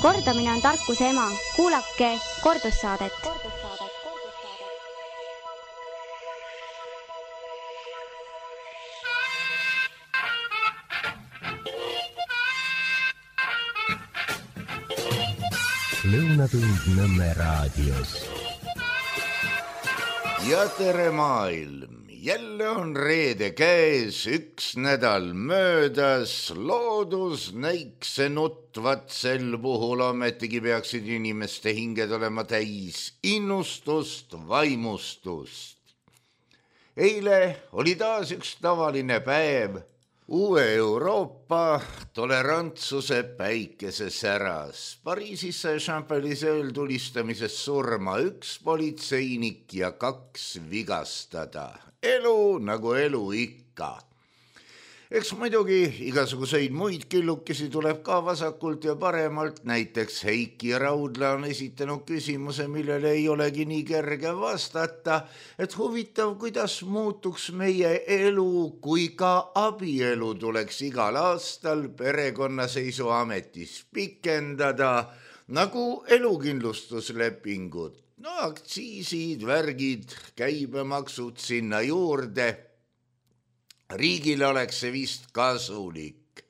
Kordamine on tarkuse ema. Kuulake kordussaadet. Lõunatund Nõmme raadios. Ja tere maailm! Jälle on reede käes, üks nädal möödas, loodus näikse nutvat sel puhul, ametigi peaksid inimeste hinged olema täis innustust, vaimustust. Eile oli taas üks tavaline päev, uue Euroopa tolerantsuse päikese säras. Pariisis sai Champs-Élysées tulistamises surma üks politseinik ja 2 vigastada. Elu nagu elu ikka. Eks muidugi igasuguseid muid killukesi tuleb ka vasakult ja paremalt. Näiteks Heiki Raudla on esitanud küsimuse, millele ei olegi nii kerge vastata, et huvitav, kuidas muutuks meie elu, kui ka abielu tuleks igal aastal perekonnaseisuametis pikendada, nagu elukindlustuslepingud. No aktsiisid, värgid, käibemaksud sinna juurde. Riigile oleks see vist kasulik.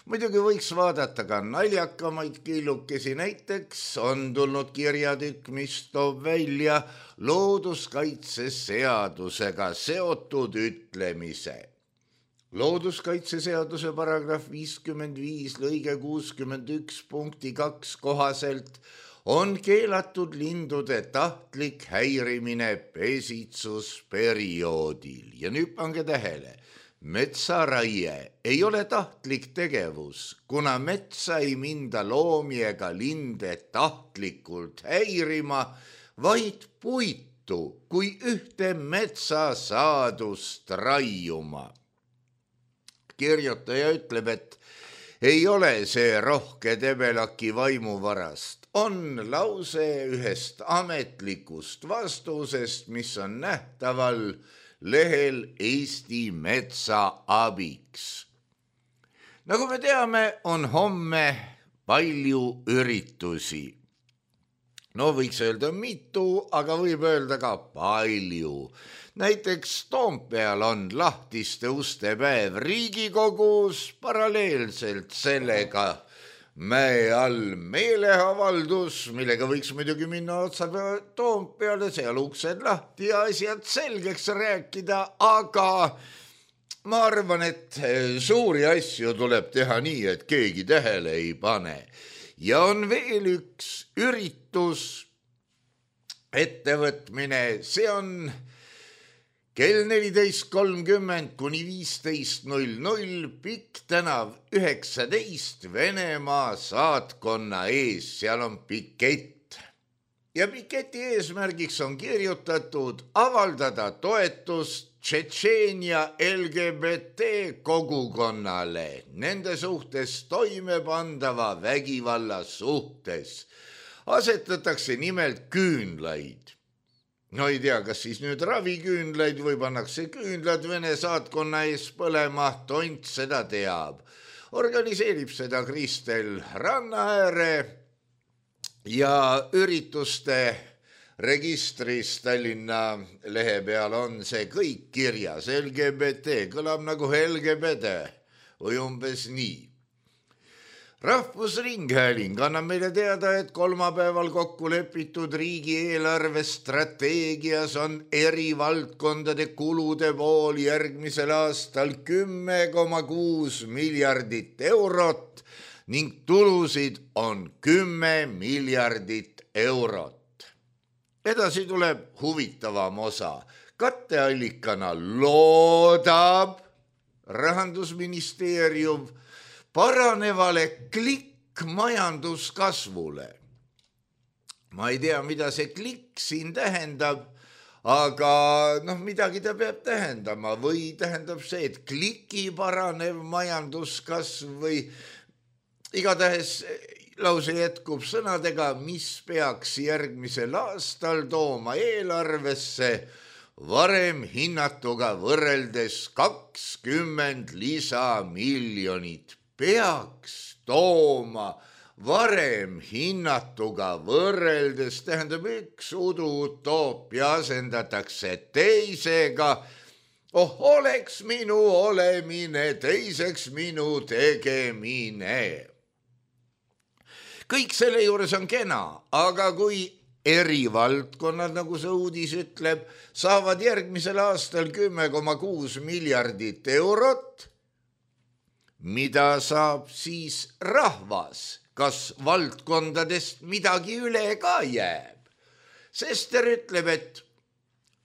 Muidugi võiks vaadata ka naljakamaid killukesi. Näiteks on tulnud kirjatükk, mis toob välja looduskaitseseadusega seotud ütlemise. Looduskaitseseaduse paragrahv 55 lõige 61 punkti 2 kohaselt on keelatud lindude tahtlik häirimine pesitsusperioodil. Ja nüüd pange tähele, metsaraie ei ole tahtlik tegevus, kuna metsa ei minda loomi ega linde tahtlikult häirima, vaid puitu kui ühte metsasaadust raiuma. Kirjutaja ütleb, et ei ole see rohke Debelaki vaimuvarast. On lause ühest ametlikust vastusest, mis on nähtaval lehel Eesti Metsa abiks. Nagu me teame, on homme palju üritusi. No võiks öelda mitu, aga võib öelda ka palju. Näiteks Toompeal on lahtiste uste päev Riigikogus, paralleelselt sellega Mäe all meeleavaldus, millega võiks muidugi minna otsa Toompeale, seal uksed lahti ja asjad selgeks rääkida, aga ma arvan, et suuri asju tuleb teha nii, et keegi tähele ei pane. Ja on veel üks üritus, ettevõtmine, see on kell 14.30 kuni 15.00 Pikk tänav 19 Venemaa saatkonna ees, seal on pikett. Ja piketi eesmärgiks on kirjutatud avaldada toetust Tšetšeenia LGBT kogukonnale, nende suhtes toimepandava vägivalla suhtes. Asetatakse nimelt küünlaid. No ei tea, kas siis nüüd raviküünlaid või pannakse küünlad Vene saatkonna ees põlema, tont seda teab. Organiseerib seda Kristel Rannaääre ja ürituste registris Tallinna lehe peal on see kõik kirjas. LGBT kõlab nagu LGBT või umbes nii. Rahvusringhääling annab meile teada, et kolmapäeval kokku lepitud riigieelarve strateegias on eri valdkondade kulude pool järgmisel aastal 10,6 miljardit eurot ning tulusid on 10 miljardit eurot. Edasi tuleb huvitavam osa. Katteallikana loodab Rahandusministeerium paranevale majanduskasvule. Ma ei tea, mida see klikk siin tähendab, aga midagi ta peab tähendama või tähendab see, et kliki paranev majanduskasv või igatahes lause jätkub sõnadega, mis peaks järgmisel aastal tooma eelarvesse varem hinnatuga võrreldes 20 lisamiljonit. Peaks tooma, varem hinnatuga võrreldes tähendab üks uduutoopia asendatakse teisega. Oleks minu olemine, teiseks minu tegemine. Kõik selle juures on kena, aga kui eri valdkonnad, nagu see uudis ütleb, saavad järgmisel aastal 10,6 miljardit eurot, mida saab siis rahvas, kas valdkondadest midagi üle ka jääb? Sester ütleb, et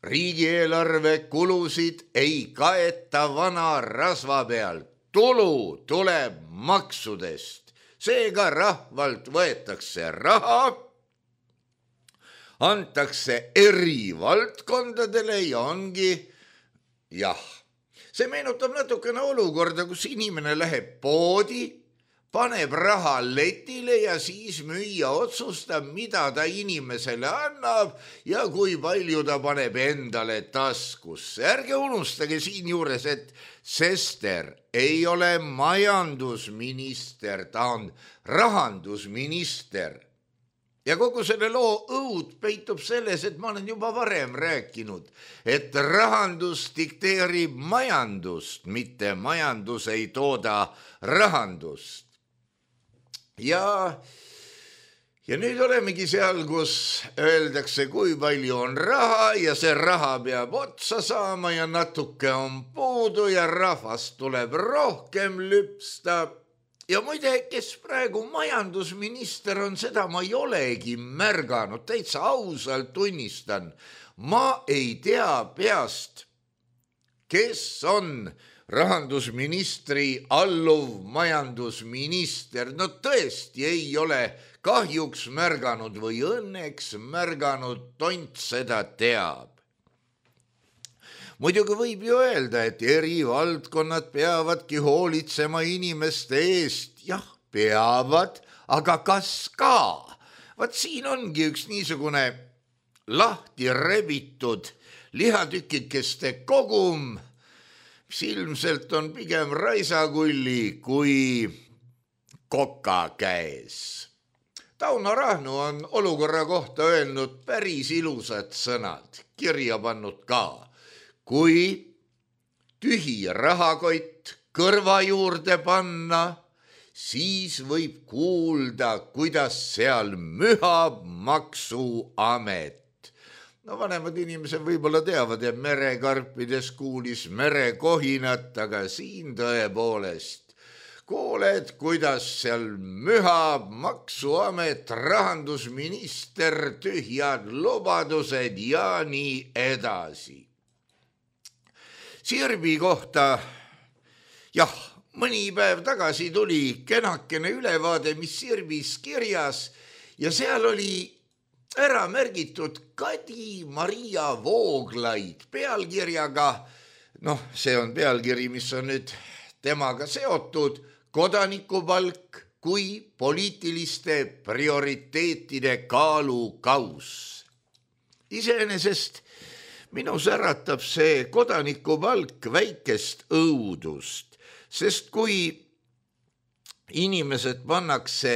riigieelarve kulusid ei kaeta vana rasva pealt, tulu tuleb maksudest, seega rahvalt võetakse raha, antakse eri valdkondadele ja ongi jah. See meenutab natukene olukorda, kus inimene läheb poodi, paneb raha letile ja siis müüja otsustab, mida ta inimesele annab ja kui palju ta paneb endale taskusse. Ärge unustage siinjuures, et Sester ei ole majandusminister, ta on rahandusminister. Ja kogu selle loo õud peitub selles, et ma olen juba varem rääkinud, et rahandus dikteerib majandust, mitte majandus ei tooda rahandust. Ja nüüd olemegi seal, kus öeldakse, kui palju on raha ja see raha peab otsa saama ja natuke on puudu ja rahvast tuleb rohkem lüpsta. Ja muide, kes praegu majandusminister on, seda ma ei olegi märganud, täitsa ausalt tunnistan. Ma ei tea peast, kes on rahandusministri alluv majandusminister. No tõesti ei ole kahjuks märganud või õnneks märganud, tont seda teab. Muidugi võib ju öelda, et eri valdkonnad peavadki hoolitsema inimeste eest. Jah, peavad, aga kas ka? Vaat siin ongi üks niisugune lahti rebitud lihatükikeste kogum, mis ilmselt on pigem raisakulli kui koka käes. Tauno Rahnu on olukorra kohta öelnud päris ilusad sõnad, kirja pannud ka. Kui tühi rahakott kõrva juurde panna, siis võib kuulda, kuidas seal mühab maksuamet. No vanemad inimesed võib-olla teavad, et merekarpides kuulis merekohinat, aga siin tõepoolest kuuled, kuidas seal mühab maksuamet, rahandusminister, tühjad lubadused ja nii edasi. Sirbi kohta, jah, mõni päev tagasi tuli kenakene ülevaade, mis Sirbis kirjas ja seal oli ära märgitud Kadi Maria Vooglaid pealkirjaga, see on pealkiri, mis on nüüd temaga seotud, kodanikupalk kui poliitiliste prioriteetide kaalukaus. Iseenesest minus äratab see kodanikupalk väikest õudust, sest kui inimesed pannakse,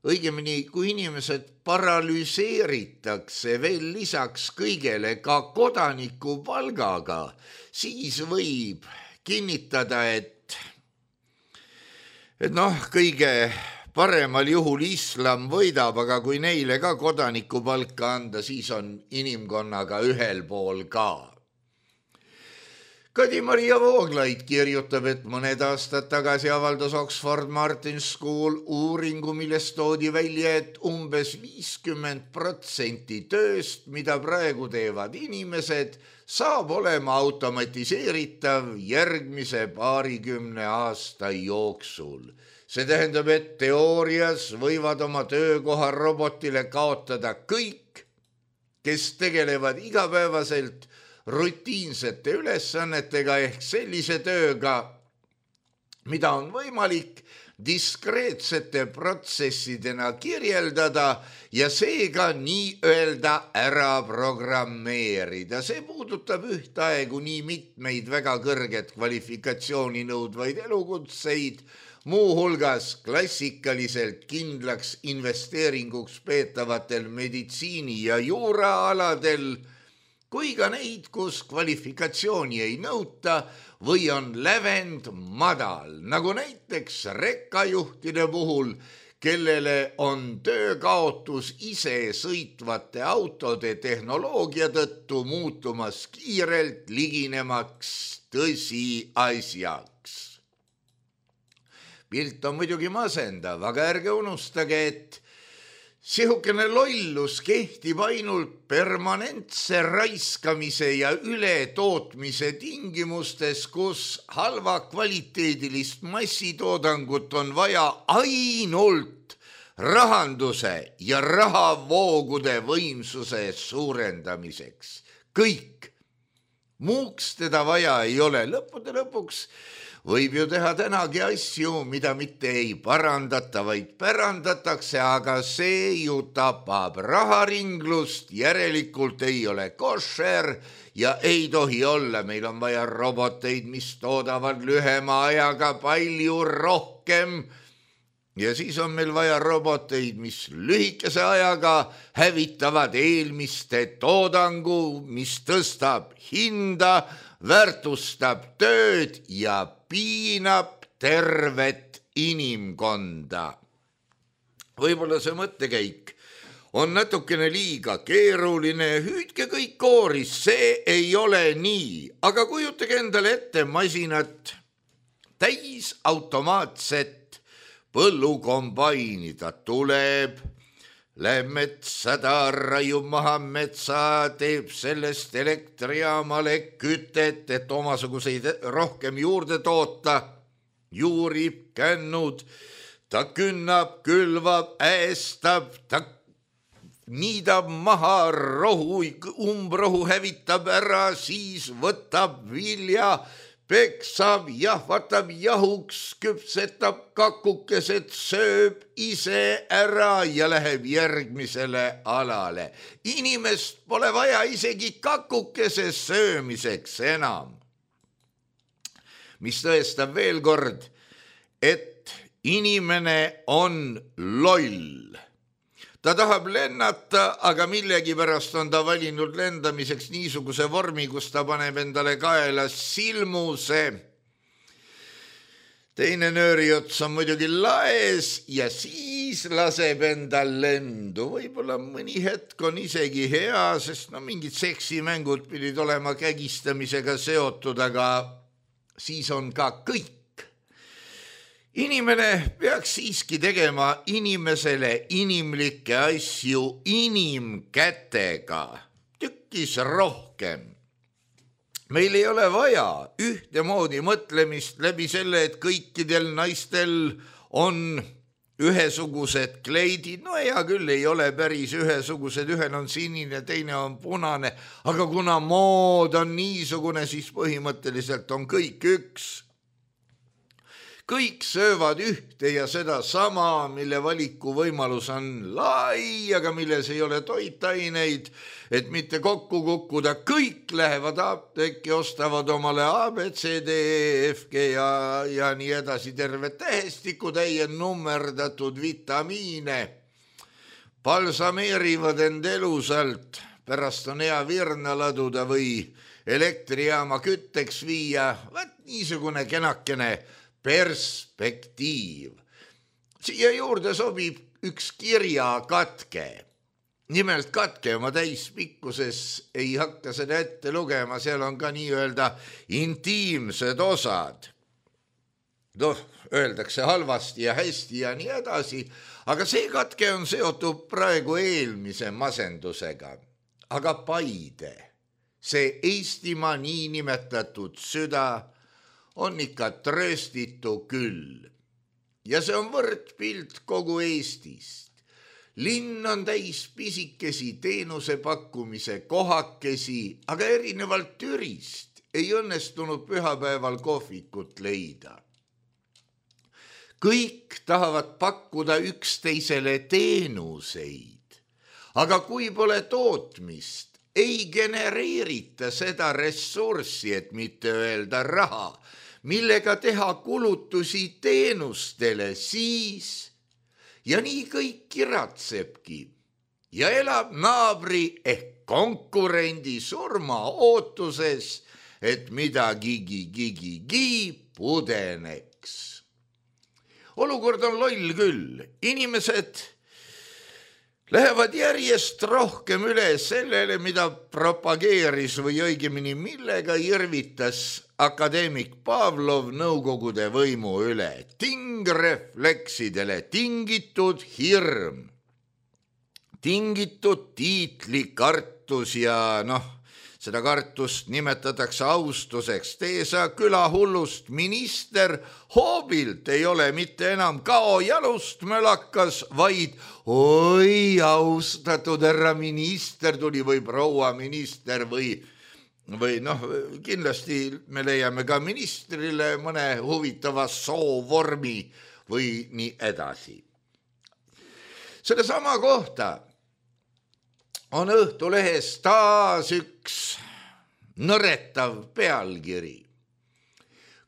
õigemini kui inimesed paralüseeritakse veel lisaks kõigele ka kodanikupalgaga, siis võib kinnitada, et kõige paremal juhul islam võidab, aga kui neile ka kodanikupalka anda, siis on inimkonnaga ühel pool ka. Kadi Maria Vooglaid kirjutab, et mõned aastad tagasi avaldas Oxford Martin School uuringu, millest toodi välja, et umbes 50% tööst, mida praegu teevad inimesed, saab olema automatiseeritav järgmise 20 aasta jooksul. See tähendab, et teoorias võivad oma töökoha robotile kaotada kõik, kes tegelevad igapäevaselt rutiinsete ülesannetega ehk sellise tööga, mida on võimalik diskreetsete protsessidena kirjeldada ja seega nii-öelda ära programmeerida. See puudutab ühtaegu nii mitmeid väga kõrget kvalifikatsiooni nõudvaid elukutseid, muuhulgas klassikaliselt kindlaks investeeringuks peetavatel meditsiini- ja juuraaladel, kui ka neid, kus kvalifikatsiooni ei nõuta või on lävend madal, nagu näiteks rekkajuhtide puhul, kellele on töökaotus ise sõitvate autode tehnoloogia tõttu muutumas kiirelt liginemaks tõsiasjaks. Pilt on muidugi masendav, aga ärge unustage, et sihukene lollus kehtib ainult permanentse raiskamise ja ületootmise tingimustes, kus halva kvaliteedilist massitoodangut on vaja ainult rahanduse ja rahavoogude võimsuse suurendamiseks. Kõik. Muuks teda vaja ei ole. Lõppude lõpuks võib ju teha tänagi asju, mida mitte ei parandata, vaid pärandatakse, aga see ju tapab raharinglust, järelikult ei ole košer ja ei tohi olla. Meil on vaja roboteid, mis toodavad lühema ajaga palju rohkem ja siis on meil vaja roboteid, mis lühikese ajaga hävitavad eelmiste toodangu, mis tõstab hinda, väärtustab tööd ja piinab tervet inimkonda. Võib-olla see mõttekäik on natukene liiga keeruline, hüüdke kõik kooris, see ei ole nii, aga kujutage endale ette masinat, täis automaatset põllukombaini, ta tuleb, läheb metsa, ta raiub maha metsa, teeb sellest elektrijaamale kütet, et omasuguseid rohkem juurde toota, juurib, kännud, ta künnab, külvab, äestab, ta niidab maha rohu, umbrohu hävitab ära, siis võtab vilja, peksab, jahvatab jahuks, küpsetab kakukesed, sööb ise ära ja läheb järgmisele alale. Inimest pole vaja isegi kakukese söömiseks enam. Mis tõestab veel kord, et inimene on loll. Ta tahab lennata, aga millegipärast on ta valinud lendamiseks niisuguse vormi, kus ta paneb endale kaela silmuse. Teine nööriots on muidugi laes ja siis laseb endal lendu. Võib-olla mõni hetk on isegi hea, sest mingid seksimängud pidid olema kägistamisega seotud, aga siis on ka kõik. Inimene peaks siiski tegema inimesele inimlikke asju inimkätega, tükkis rohkem. Meil ei ole vaja ühtemoodi mõtlemist läbi selle, et kõikidel naistel on ühesugused kleidid. No hea küll, ei ole päris ühesugused, ühel on sinine, teine on punane, aga kuna mood on niisugune, siis põhimõtteliselt on kõik üks. Kõik söövad ühte ja seda sama, mille valiku võimalus on lai, aga milles ei ole toitaineid, et mitte kokku kukkuda. Kõik lähevad apteeki, ostavad omale A, B, C, D, E, F, G ja nii edasi terve tähestikutäie nummerdatud vitamiine. Balsameerivad end elusalt, pärast on hea virna laduda või elektrijaama kütteks viia. Vaat niisugune kenakene perspektiiv. Siia juurde sobib üks kirjakatke. Nimelt katke oma täispikkuses ei hakka seda ette lugema, seal on ka nii-öelda intiimsed osad. Öeldakse halvasti ja hästi ja nii edasi, aga see katke on seotud praegu eelmise masendusega. Aga Paide, see Eestimaa niinimetatud süda, on ikka trööstitu küll. Ja see on võrdpilt kogu Eestist. Linn on täis pisikesi teenuse pakkumise kohakesi, aga erinevalt Türist ei õnnestunud pühapäeval kohvikut leida. kõik tahavad pakkuda üksteisele teenuseid, aga kui pole tootmist, ei genereerita seda ressurssi, et mitte öelda raha, millega teha kulutusi teenustele, siis ja nii kõik kiratsebki ja elab naabri ehk konkurendi surma ootuses, et midagigi pudeneks. Olukord on loll küll. Inimesed lähevad järjest rohkem üle sellele, mida propageeris või õigemini millega irvitas akadeemik Pavlov nõukogude võimu üle. Tingrefleksidele tingitud hirm, tingitud tiitlikartus ja seda kartust nimetatakse austuseks. Tee sa külahullust minister, hoobilt ei ole mitte enam kao jalust mölakas, vaid oi, austatud härra minister tuli või proua minister või kindlasti me leiame ka ministrile mõne huvitava soovormi või nii edasi. Sellesama kohta on Õhtulehes taas üks nõretav pealkiri.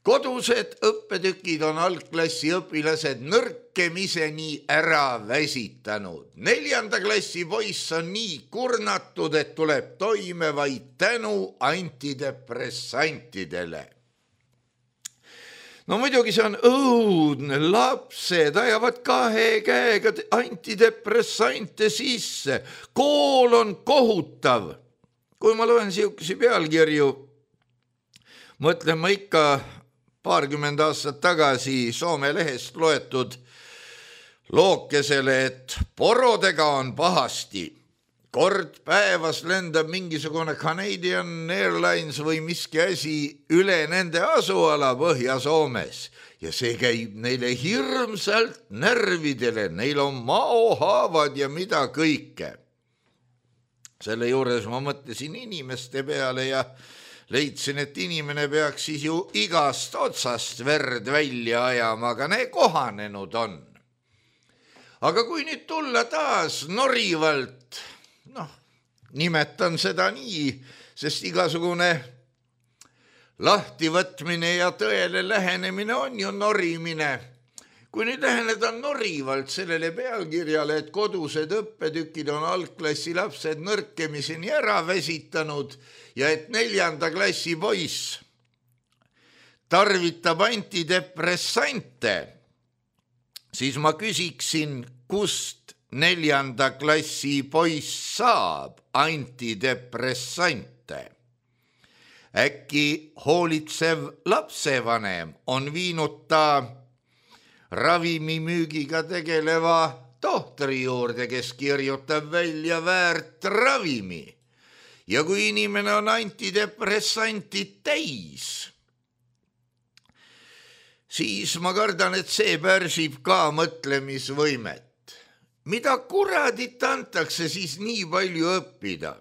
Kodused õppetükid on algklassi õpilased nõrkemiseni ära väsitanud. 4. klassi poiss on nii kurnatud, et tuleb toime vaid tänu antidepressantidele. No muidugi see on õudne, lapsed ajavad 2 käega antidepressante sisse. Kool on kohutav. Kui ma loen siukesi pealkirju, mõtlen ma ikka 20 aastat tagasi Soome lehest loetud lookesele, et porodega on pahasti. Kord päevas lendab mingisugune Canadian Airlines või miski asi üle nende asuala Põhja-Soomes ja see käib neile hirmsalt närvidele, neil on maohaavad ja mida kõike. Selle juures ma mõtlesin inimeste peale ja leidsin, et inimene peaks siis ju igast otsast verd välja ajama, aga ne kohanenud on. Aga kui nüüd tulla taas norivalt, nimetan seda nii, sest igasugune lahtivõtmine ja tõele lähenemine on ju norimine. Kui nüüd läheneda norivalt sellele pealkirjale, et kodused õppetükid on algklassi lapsed nõrkemiseni ära väsitanud ja et 4. klassi poiss tarvitab antidepressante, siis ma küsiksin, kust 4. klassi poiss saab antidepressante. Äkki hoolitsev lapsevanem on viinud ta ravimimüügiga tegeleva tohtri juurde, kes kirjutab välja väärt ravimi. Ja kui inimene on antidepressanti täis, siis ma kardan, et see pärsib ka mõtlemisvõimet. Mida kuradit antakse siis nii palju õppida?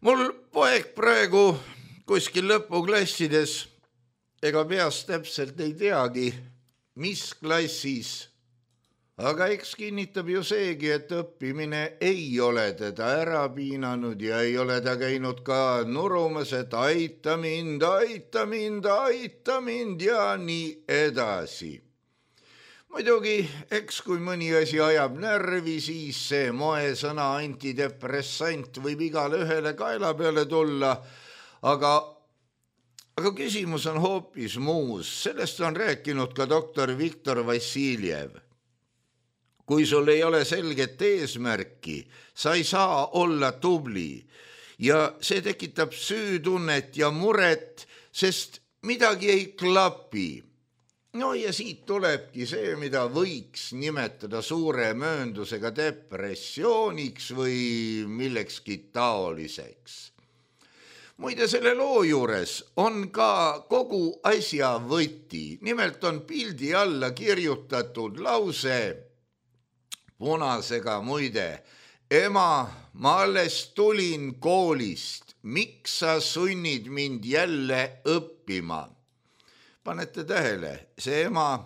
Mul poeg praegu kuskil lõpuklassides, ega peast täpselt ei teagi, mis klassis, aga eks kinnitab ju seegi, et õppimine ei ole teda ära piinanud ja ei ole ta käinud ka nurumas, et aita mind ja nii edasi. Muidugi, eks kui mõni asi ajab närvi, siis see moesõna antidepressant võib igale ühele kaela peale tulla, aga küsimus on hoopis muus. Sellest on rääkinud ka doktor Viktor Vassiljev. Kui sul ei ole selget eesmärki, sa ei saa olla tubli ja see tekitab süütunnet ja muret, sest midagi ei klapi. No ja siit tulebki see, mida võiks nimetada suure mööndusega depressiooniks või millekski taoliseks. Muide, selle loo juures on ka kogu asja võti. Nimelt on pildi alla kirjutatud lause punasega muide. Ema, ma alles tulin koolist. Miks sa sunnid mind jälle õppima? Panete tähele, see ema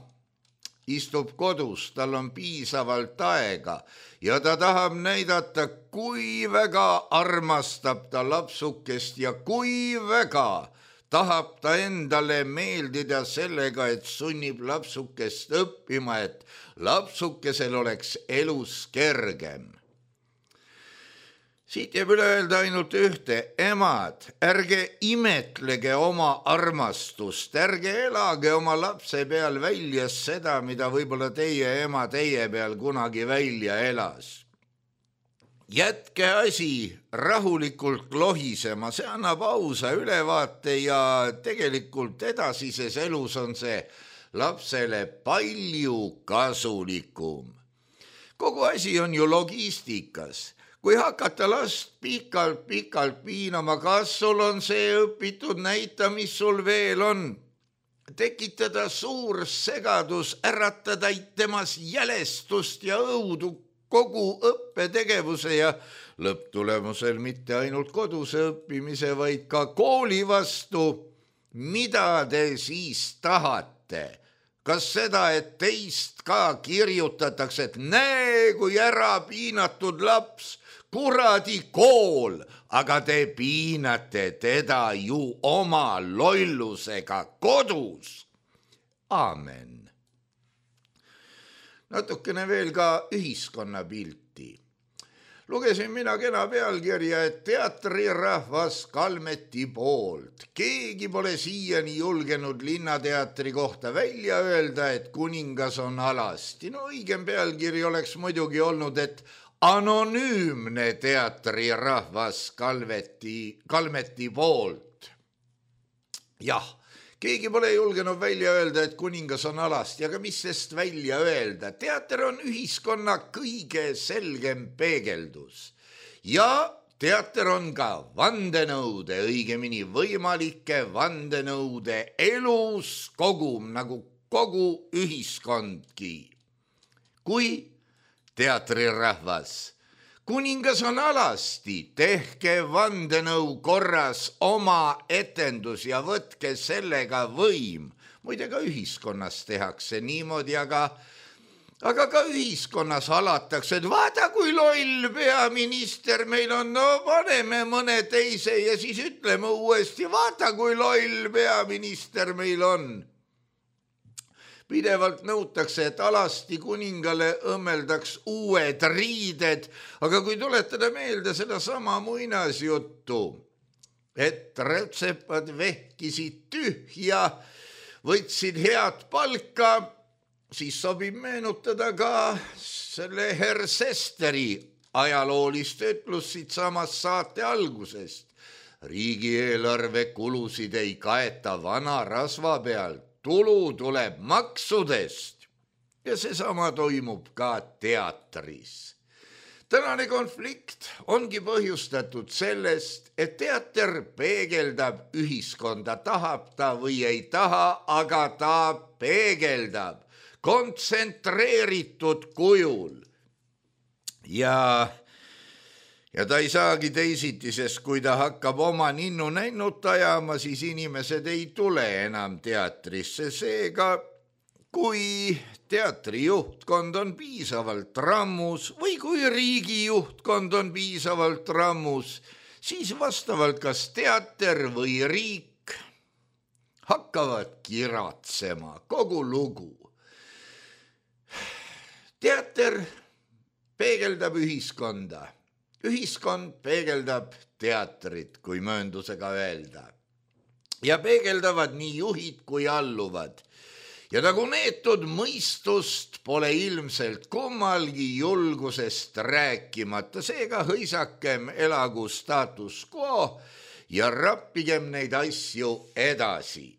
istub kodus, tal on piisavalt aega ja ta tahab näidata, kui väga armastab ta lapsukest ja kui väga tahab ta endale meeldida sellega, et sunnib lapsukest õppima, et lapsukesel oleks elus kergem. Siit jääb üle öelda ainult ühte, emad, ärge imetlege oma armastust, ärge elage oma lapse peal välja seda, mida võib-olla teie ema teie peal kunagi välja elas. Jätke asi rahulikult lohisema, see annab ausa ülevaate ja tegelikult edasises elus on see lapsele palju kasulikum. Kogu asi on ju logistikas. Kui hakata last pikalt piinama, kas sul on see õpitud, näita, mis sul veel on. Tekitada suur segadus, äratada temas jälestust ja õudu kogu õppetegevuse ja lõpptulemusel mitte ainult koduse õppimise, vaid ka kooli vastu. Mida te siis tahate? Kas seda, et teist ka kirjutatakse, et näe, kui ära piinatud laps, kuradi kool, aga te piinate teda ju oma lollusega kodus. Aamen. Natukene veel ka ühiskonnapilti. Lugesin mina kena pealkirja, et teatrirahvas Kalmeti poolt. Keegi pole siiani julgenud linnateatri kohta välja öelda, et kuningas on alasti. No õigem pealkiri oleks muidugi olnud, et anonüümne teatrirahvas Kalmeti poolt. Jah, keegi pole julgenud välja öelda, et kuningas on alasti, aga mis sest välja öelda? Teater on ühiskonna kõige selgem peegeldus. Ja teater on ka vandenõude, õigemini võimalike vandenõude elus kogum, nagu kogu ühiskondki. Kui teatrirahvas, kuningas on alasti, tehke vandenõu korras oma etendus ja võtke sellega võim. Muide ka ühiskonnas tehakse niimoodi, aga ka ühiskonnas halatakse, et vaata kui loll peaminister meil on, no paneme mõne teise ja siis ütleme uuesti, vaata kui loll peaminister meil on. Pidevalt nõutakse, et alasti kuningale õmmeldaks uued riided, aga kui tuletada meelde seda sama muinasjuttu, et rätsepad vehkisid tühja, võtsid head palka, siis sobib meenutada ka selle Herr Sesteri ajaloolist ütlust siit samast saate algusest. Riigieelarve kulusid ei kaeta vana rasva pealt. Tulu tuleb maksudest ja seesama toimub ka teatris. Tänane konflikt ongi põhjustatud sellest, et teater peegeldab ühiskonda, tahab ta või ei taha, aga ta peegeldab kontsentreeritud kujul. Ja ta ei saagi teisiti, sest kui ta hakkab oma ninnu nännut ajama, siis inimesed ei tule enam teatrisse. Seega, kui teatri juhtkond on piisavalt rammus või kui riigi juhtkond on piisavalt rammus, siis vastavalt kas teater või riik hakkavad kiratsema kogu lugu. Teater peegeldab ühiskonda. Ühiskond peegeldab teatrit, kui mööndusega öelda. Ja peegeldavad nii juhid kui alluvad. Ja nagu neetud mõistust pole ilmselt kummalgi julgusest rääkimata, seega hõisakem elagu status quo ja rappigem neid asju edasi.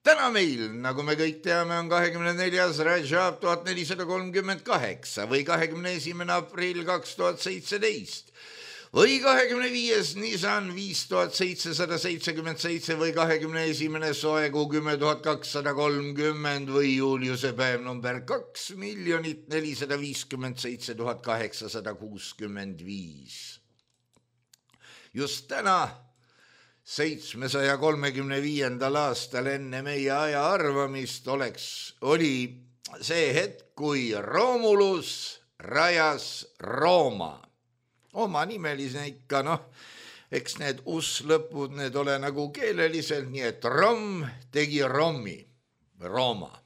Täna meil, nagu me kõik teame, on 24. Rajab 1438 või 21. aprill 2017 või 25. Nisan 5777 või 21. Soekuu 10230 või Juliuse päev number 2 457 865. Just täna 735. aastal enne meie aja arvamist oli see hetk, kui Romulus rajas Rooma. Oma nimeline ikka, eks need us-lõpud, need ole nagu keeleliselt, nii et Rom tegi Romi, Rooma.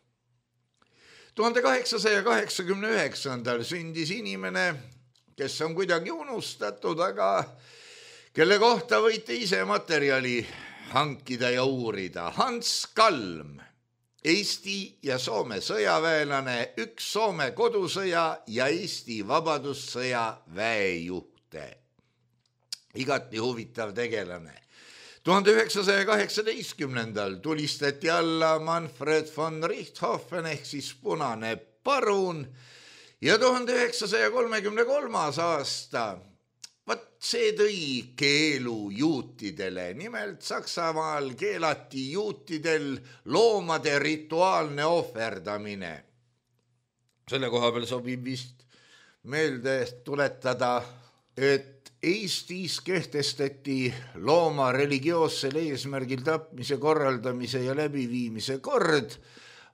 1889. sündis inimene, kes on kuidagi unustatud, aga kelle kohta võite ise materjali hankida ja uurida. Hans Kalm, Eesti ja Soome sõjaväelane, üks Soome kodusõja ja Eesti vabadussõja väejuhte. Igati huvitav tegelane. 1918. tulistati alla Manfred von Richthofen ehk siis punane parun ja 1933. aasta see tõi keelu juutidele. Nimelt Saksamaal keelati juutidel loomade rituaalne ohverdamine. Selle koha peal sobib vist meelde tuletada, et Eestis kehtestati looma religioossel eesmärgil tapmise, korraldamise ja läbiviimise kord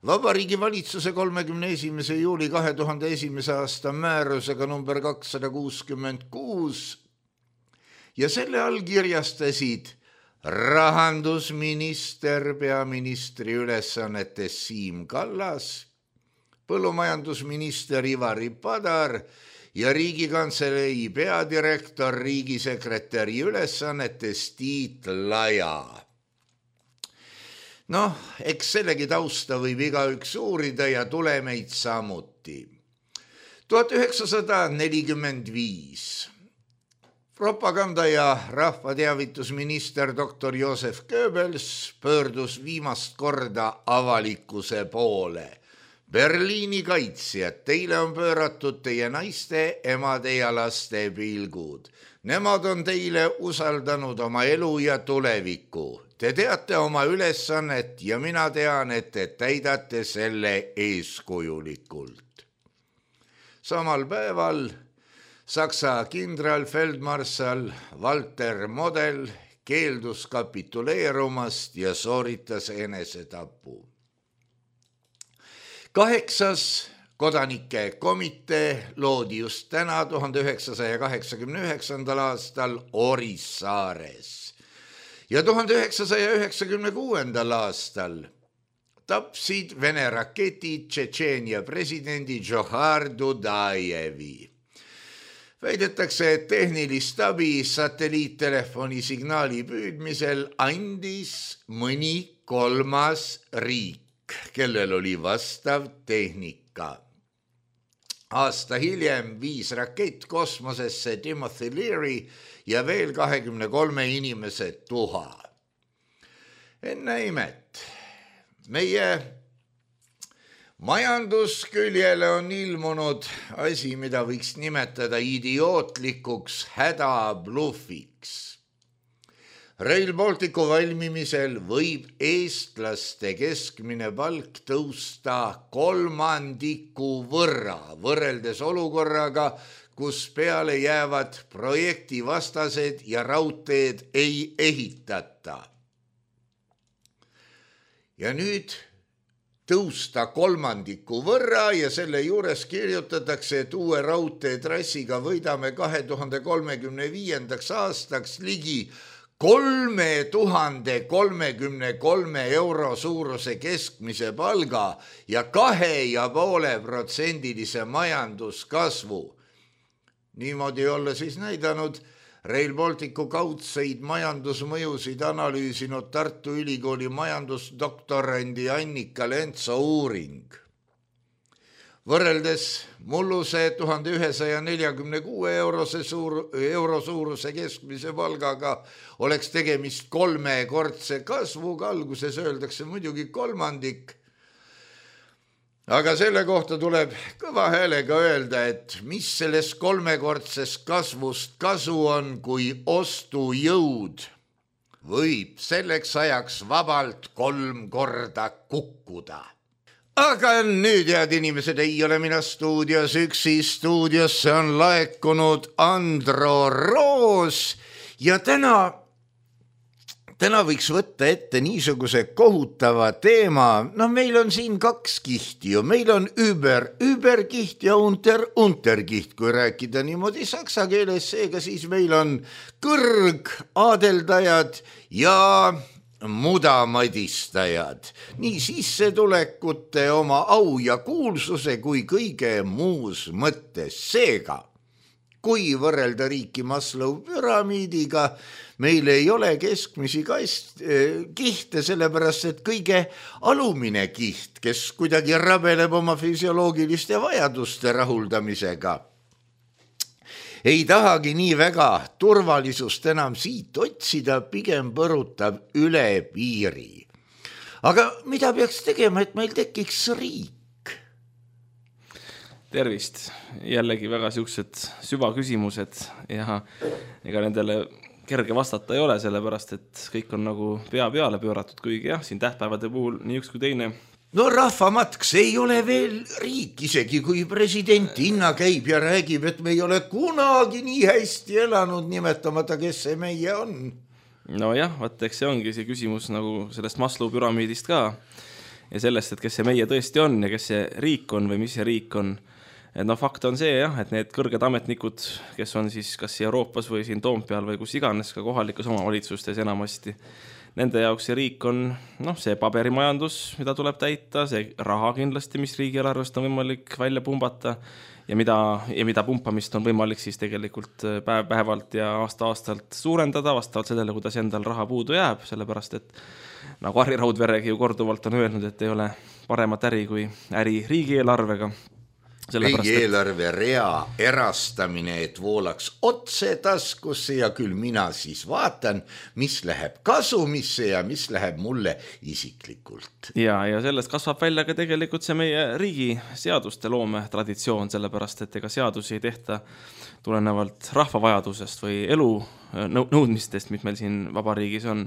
Vabariigi valitsuse 31. juuli 2001. aasta määrusega number 266 ja selle allkirjastasid rahandusminister peaministri ülesannetes Siim Kallas, põllumajandusminister Ivari Padar ja Riigikantselei peadirektor riigisekretäri ülesannetes Tiit Laja. Eks sellegi tausta võib igaüks uurida ja tulemeid samuti. 1945. Propaganda- ja rahvateavitusminister dr. Josef Goebbels pöördus viimast korda avalikkuse poole. Berliini kaitsjad, teile on pööratud teie naiste, emade ja laste pilgud. Nemad on teile usaldanud oma elu ja tuleviku. Te teate oma ülesannet ja mina tean, et te täidate selle eeskujulikult. Samal päeval Saksa kindralfeldmarssal Walter Model keeldus kapituleerumast ja sooritas enesetapu. 8. kodanike komitee loodi just täna 1989. aastal Orissaares ja 1996. aastal tapsid Vene raketid Tšetšeenia presidendi Džohar Dudajevi. Väidetakse, et tehnilist abi satelliittelefoni signaali püüdmisel andis mõni kolmas riik, kellel oli vastav tehnika. Aasta hiljem viis rakett kosmosesse Timothy Leary ja veel 23 inimese tuha. Enne imet, meie majandusküljele on ilmunud asi, mida võiks nimetada idiootlikuks hädabluffiks. Rail Balticu valmimisel võib eestlaste keskmine palk tõusta 3% võrra, võrreldes olukorraga, kus peale jäävad projektivastased ja raudteed ei ehitata. Ja nüüd tõusta 3% võrra ja selle juures kirjutatakse, et uue raudteetrassiga võidame 2035. aastaks ligi 3033 euro suuruse keskmise palga ja 2,5% majanduskasvu. Niimoodi olla siis näidanud Rail Balticu kaudseid majandusmõjusid analüüsinud Tartu Ülikooli majandusdoktorandi Annika Lentso uuring. Võrreldes mulluse 1146 euro suuruse keskmise palgaga oleks tegemist 3-kordse kasvuga, alguses öeldakse muidugi kolmandik. Aga selle kohta tuleb kõva häälega öelda, et mis sellest 3-kordsest kasvust kasu on, kui ostujõud võib selleks ajaks vabalt 3 korda kukkuda. Aga nüüd, head inimesed, ei ole mina stuudios üksi, stuudiosse on laekunud Andro Roos ja täna täna võiks võtta ette niisuguse kohutava teema, meil on siin 2 kihti ju, meil on überkiht ja unterkiht, kui rääkida niimoodi saksa keeles, seega siis meil on kõrgaadeldajad ja mudamadistajad, nii sissetulekute, oma au ja kuulsuse kui kõige muus mõttes. Seega, kui võrrelda riiki Maslow püramiidiga, meil ei ole keskmisi kihte, sellepärast et kõige alumine kiht, kes kuidagi rabeleb oma füsioloogiliste vajaduste rahuldamisega, ei tahagi nii väga turvalisust enam siit otsida, pigem põrutab üle piiri. Aga mida peaks tegema, et meil tekiks riik? Tervist, jällegi väga siuksed süvaküsimused ja ega nendele kerge vastata ei ole, sellepärast et kõik on nagu pea peale pööratud, kuigi jah, siin tähtpäevade puhul nii üks kui teine. No rahvamатk, see ei ole veel riik, isegi kui president Inna käib ja räägib, et me ei ole kunagi nii hästi elanud, nimetamata, kes see meie on. No jah, eks see ongi see küsimus nagu sellest Maslow püramiidist ka ja sellest, et kes see meie tõesti on ja kes see riik on või mis see riik on. Fakt on see jah, et need kõrged ametnikud, kes on siis kas Euroopas või siin Toompeal või kus iganes ka kohalikus omavalitsustes enamasti, nende jaoks see riik on see paberimajandus, mida tuleb täita, see raha kindlasti, mis riigieelarvest on võimalik välja pumbata ja mida pumpamist on võimalik siis tegelikult päevalt ja aasta-aastalt suurendada vastavalt sellele, kuidas endal raha puudu jääb, sellepärast et nagu Harri Raudveregi ju korduvalt on öelnud, et ei ole paremat äri kui äri riigieelarvega. Riigieelarve rea erastamine, et voolaks otse taskusse ja küll mina siis vaatan, mis läheb kasumisse ja mis läheb mulle isiklikult. Ja sellest kasvab välja ka tegelikult see meie riigi seaduste loome traditsioon, sellepärast et ega seadusi ei tehta tulenevalt rahva vajadusest või elu nõudmistest, mis meil siin vabariigis on,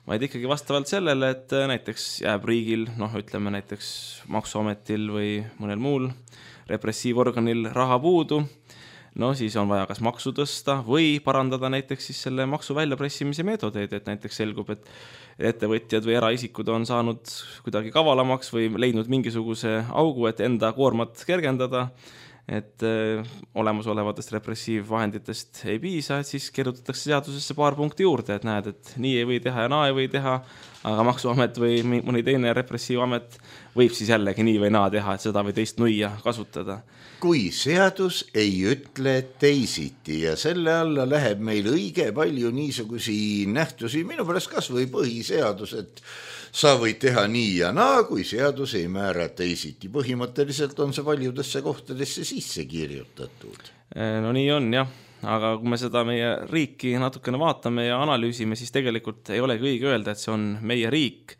vaid ikkagi vastavalt sellele, et näiteks jääb riigil, ütleme näiteks Maksuametil või mõnel muul repressiivorganil raha puudu, siis on vaja kas maksu tõsta või parandada näiteks siis selle maksu väljapressimise meetodeid, et näiteks selgub, et ettevõtjad või eraisikud on saanud kuidagi kavalamaks või leidnud mingisuguse augu, et enda koormat kergendada, et olemasolevatest repressiivvahenditest ei piisa, et siis kirjutatakse seadusesse paar punkti juurde, et näed, et nii ei või teha ja naa ei või teha, aga Maksuamet või mõni teine repressiivamet võib siis jällegi nii või naa teha, et seda või teist nuia kasutada. Kui seadus ei ütle teisiti ja selle alla läheb meil õige palju niisugusi nähtusi, minu pärast kas või põhiseadus, et sa võid teha nii ja naa, kui seadus ei määra teisiti. Põhimõtteliselt on see paljudesse kohtadesse sisse kirjutatud. No nii on jah, aga kui me seda meie riiki natukene vaatame ja analüüsime, siis tegelikult ei olegi õige öelda, et see on meie riik.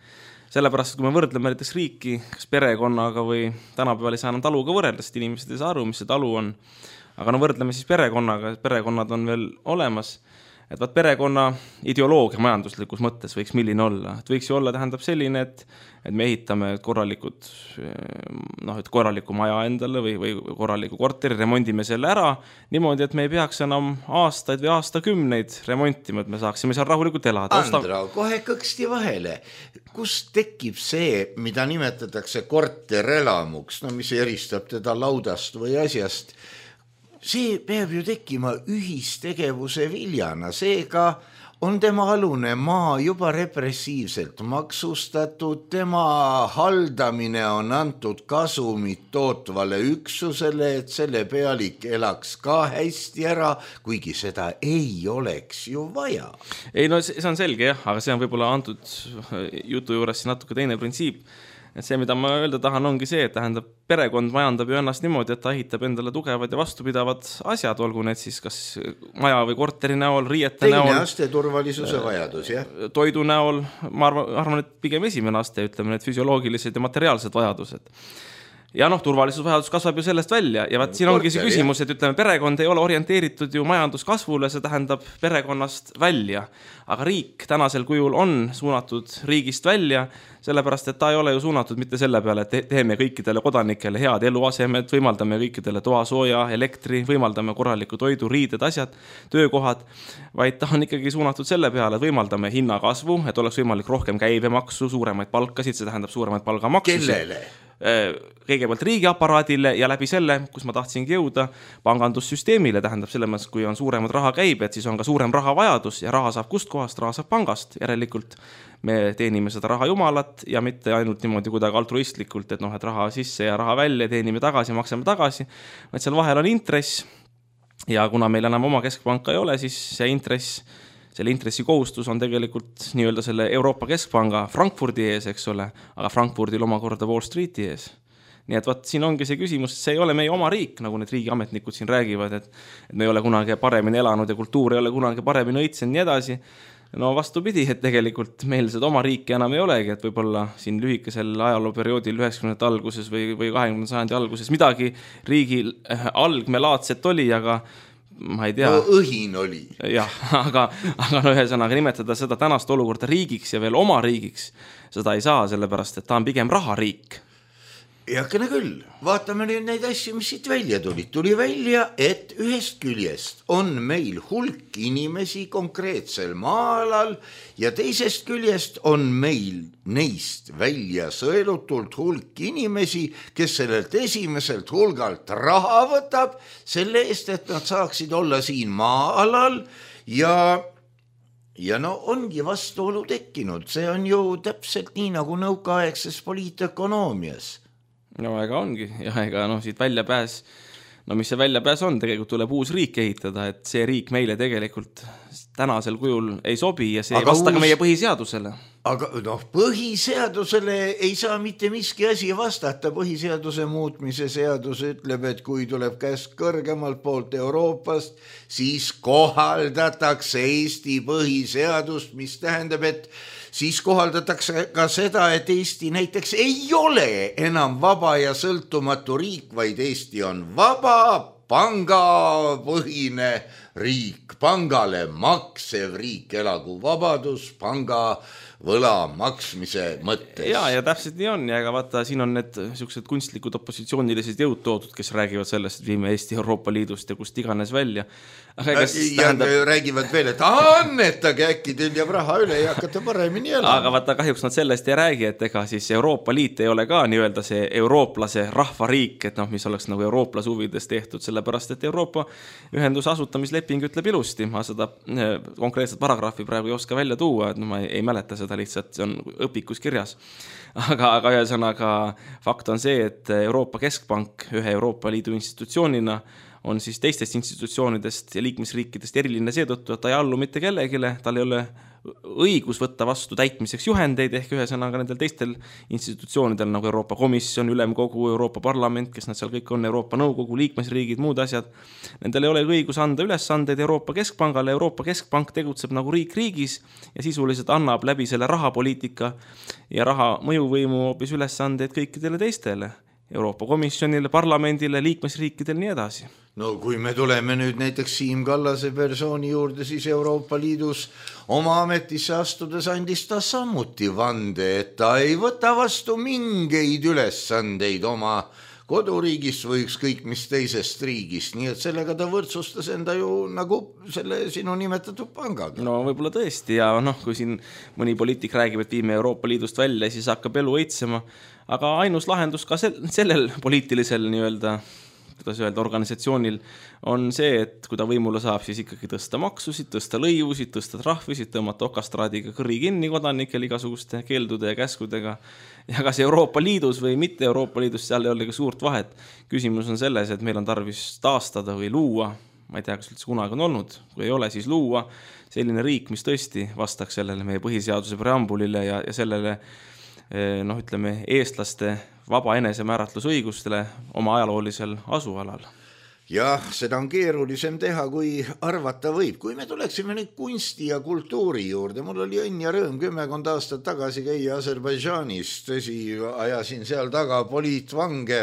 Sellepärast, kui me võrdleme näiteks riiki kas perekonnaga või tänapäeval ei saa enam taluga võrrelda, sest inimesed ei saa aru, mis see talu on. Aga võrdleme siis perekonnaga, perekonnad on veel olemas. Et perekonna ideoloogia majanduslikus mõttes võiks milline olla. Et võiks ju olla tähendab selline, et me ehitame korraliku maja endale või korraliku korteri, remondime selle ära niimoodi, et me ei peaks enam aastaid või aastakümneid remontima, et me saaksime seal rahulikult elada. Andra, kohe kõksti vahele. Kust tekib see, mida nimetatakse korterelamuks, mis eristab teda laudast või asjast? See peab ju tekkima ühistegevuse viljana, seega on tema alune maa juba repressiivselt maksustatud, tema haldamine on antud kasumit tootvale üksusele, et selle pealik elaks ka hästi ära, kuigi seda ei oleks ju vaja. Ei, see on selge jah, aga see on võib-olla antud jutu juures natuke teine printsiip. Et see, mida ma öelda tahan, ongi see, et tähendab, perekond majandab ju ennast niimoodi, et ta ehitab endale tugevad ja vastupidavad asjad, olgu need siis kas maja või korteri näol, riiete näol. Teine aste turvalisuse vajadus, jah. Toidu näol, ma arvan, et pigem esimene aste, ütleme, need füsioloogilised ja materiaalsed vajadused. ja turvalisusvajadus kasvab ju sellest välja ja vaat siin ongi see küsimus, et ütleme, perekond ei ole orienteeritud ju majanduskasvule, see tähendab perekonnast välja, aga riik tänasel kujul on suunatud riigist välja, sellepärast, et ta ei ole ju suunatud mitte selle peale, et teeme kõikidele kodanikele head eluasemed, võimaldame kõikidele toasooja, elektri, võimaldame korraliku toidu, riided, asjad, töökohad, vaid ta on ikkagi suunatud selle peale, et võimaldame hinnakasvu, et oleks võimalik rohkem käibemaksu, suuremaid palkasid, see tähendab suuremaid palgamaksusid. Kellele? Kõigepealt riigiaparaadile ja läbi selle, kus ma tahtsingi jõuda, pangandussüsteemile, tähendab selles mõttes, kui on suuremad raha käibed, siis on ka suurem rahavajadus ja raha saab kust kohast, raha saab pangast, järelikult me teenime seda raha jumalat ja mitte ainult niimoodi kuidagi altruistlikult, et et raha sisse ja raha välja, teenime tagasi, maksame tagasi, vaid seal vahel on intress ja kuna meil enam oma keskpanka ei ole, siis selle intressikohustus on tegelikult nii-öelda selle Euroopa Keskpanga Frankfurdi ees, eks ole, aga Frankfurdil omakorda Wall Streeti ees. Nii et siin ongi see küsimus, et see ei ole meie oma riik, nagu need riigiametnikud siin räägivad, et me ei ole kunagi paremini elanud ja kultuur ei ole kunagi paremini õitsenud nii edasi. No vastupidi, et tegelikult meil seda oma riiki enam ei olegi, et võib-olla siin lühikesel ajalooperioodil 90. alguses või 20. sajandi alguses midagi riigi algmelaadset oli, aga ma ei tea. No õhin oli. Jah, aga ühesõnaga nimetada seda tänast olukorda riigiks ja veel oma riigiks, seda ei saa, sellepärast, et ta on pigem rahariik. Heakene küll, vaatame nüüd neid asju, mis siit välja tulid. Tuli välja, et ühest küljest on meil hulk inimesi konkreetsel maa-alal ja teisest küljest on meil neist välja sõelutult hulk inimesi, kes sellelt esimeselt hulgalt raha võtab selle eest, et nad saaksid olla siin maa-alal ja no ongi vastuolu tekkinud. See on ju täpselt nii nagu nõukaaegses poliitökonoomias. No ega ongi ja ega siit väljapääs, mis see väljapääs on, tegelikult tuleb uus riik ehitada, et see riik meile tegelikult tänasel kujul ei sobi ja see ei vasta ka meie põhiseadusele. Aga põhiseadusele ei saa mitte miski asi vastata. Põhiseaduse muutmise seadus ütleb, et kui tuleb käsk kõrgemalt poolt Euroopast, siis kohaldatakse Eesti põhiseadust, mis tähendab, et siis kohaldatakse ka seda, et Eesti näiteks ei ole enam vaba ja sõltumatu riik, vaid Eesti on vaba, pangapõhine riik, pangale maksev riik, elagu vabadus, panga võla maksmise mõttes. Ja täpselt nii on ja ega vaata, siin on need sellised kunstlikud opositsioonilised jõud toodud, kes räägivad sellest, et viime Eesti Euroopa Liidust ja kust iganes välja. Ja räägivad veel, et annetage äkki teil jääb raha üle ja hakkate paremini elama. Aga vaata, kahjuks nad sellest ei räägi, et ega siis Euroopa Liit ei ole ka nii-öelda see eurooplase rahvariik, et mis oleks nagu eurooplase huvides tehtud, sellepärast, et Euroopa ühenduse asutamisleping ütleb ilusti. Ma seda konkreetset paragrahvi praegu ei oska välja tuua, et ma ei mäleta seda lihtsalt, see on õpikus kirjas. Aga ühesõnaga fakt on see, et Euroopa Keskpank ühe Euroopa Liidu institutsioonina on siis teistest institutsioonidest ja liikmesriikidest eriline seetõttu, et ta ei allu mitte kellegile, tal ei ole õigus võtta vastu täitmiseks juhendeid ehk ühesõnaga nendel teistel institutsioonidel nagu Euroopa Komisjon, Ülemkogu, Euroopa Parlament, kes nad seal kõik on, Euroopa Nõukogu, liikmesriigid, muud asjad. Nendel ei ole õigus anda ülesandeid Euroopa Keskpangale. Euroopa Keskpank tegutseb nagu riik riigis ja sisuliselt annab läbi selle rahapoliitika ja raha mõjuvõimu hoopis ülesandeid kõikidele teistele. Euroopa Komisjonile, parlamendile, liikmesriikidele nii edasi. No kui me tuleme nüüd näiteks Siim Kallase persooni juurde, siis Euroopa Liidus oma ametisse astudes andis ta samuti vande, et ta ei võta vastu mingeid ülesandeid oma koduriigist või ükskõik mis teisest riigist, nii et sellega ta võrdsustas enda ju nagu selle sinu nimetatud pangaga. No võib-olla tõesti ja kui siin mõni poliitik räägib, et viime Euroopa Liidust välja, siis hakkab elu õitsema, aga ainus lahendus ka sellel poliitilisel nii-öelda organisatsioonil on see, et kui ta võimule saab, siis ikkagi tõsta maksusid, tõsta lõivusid, tõsta trahvisid, tõmmata okastraadiga kõri kinni kodanikel igasuguste keeldude ja käskudega. Ja kas Euroopa Liidus või mitte Euroopa Liidus, seal ei ole ka suurt vahet. Küsimus on selles, et meil on tarvis taastada või luua, ma ei tea, kas üldse kunagi on olnud, kui ei ole, siis luua selline riik, mis tõesti vastaks sellele meie põhiseaduse preambulile ja sellele ütleme, eestlaste vaba enesemääratlusõigustele oma ajaloolisel asualal. jah, seda on keerulisem teha, kui arvata võib. Kui me tuleksime nüüd kunsti ja kultuuri juurde, mul oli õnn ja rõõm 10 aastat tagasi käia Aserbaidžaanis, tõsi, ajasin seal taga poliitvange,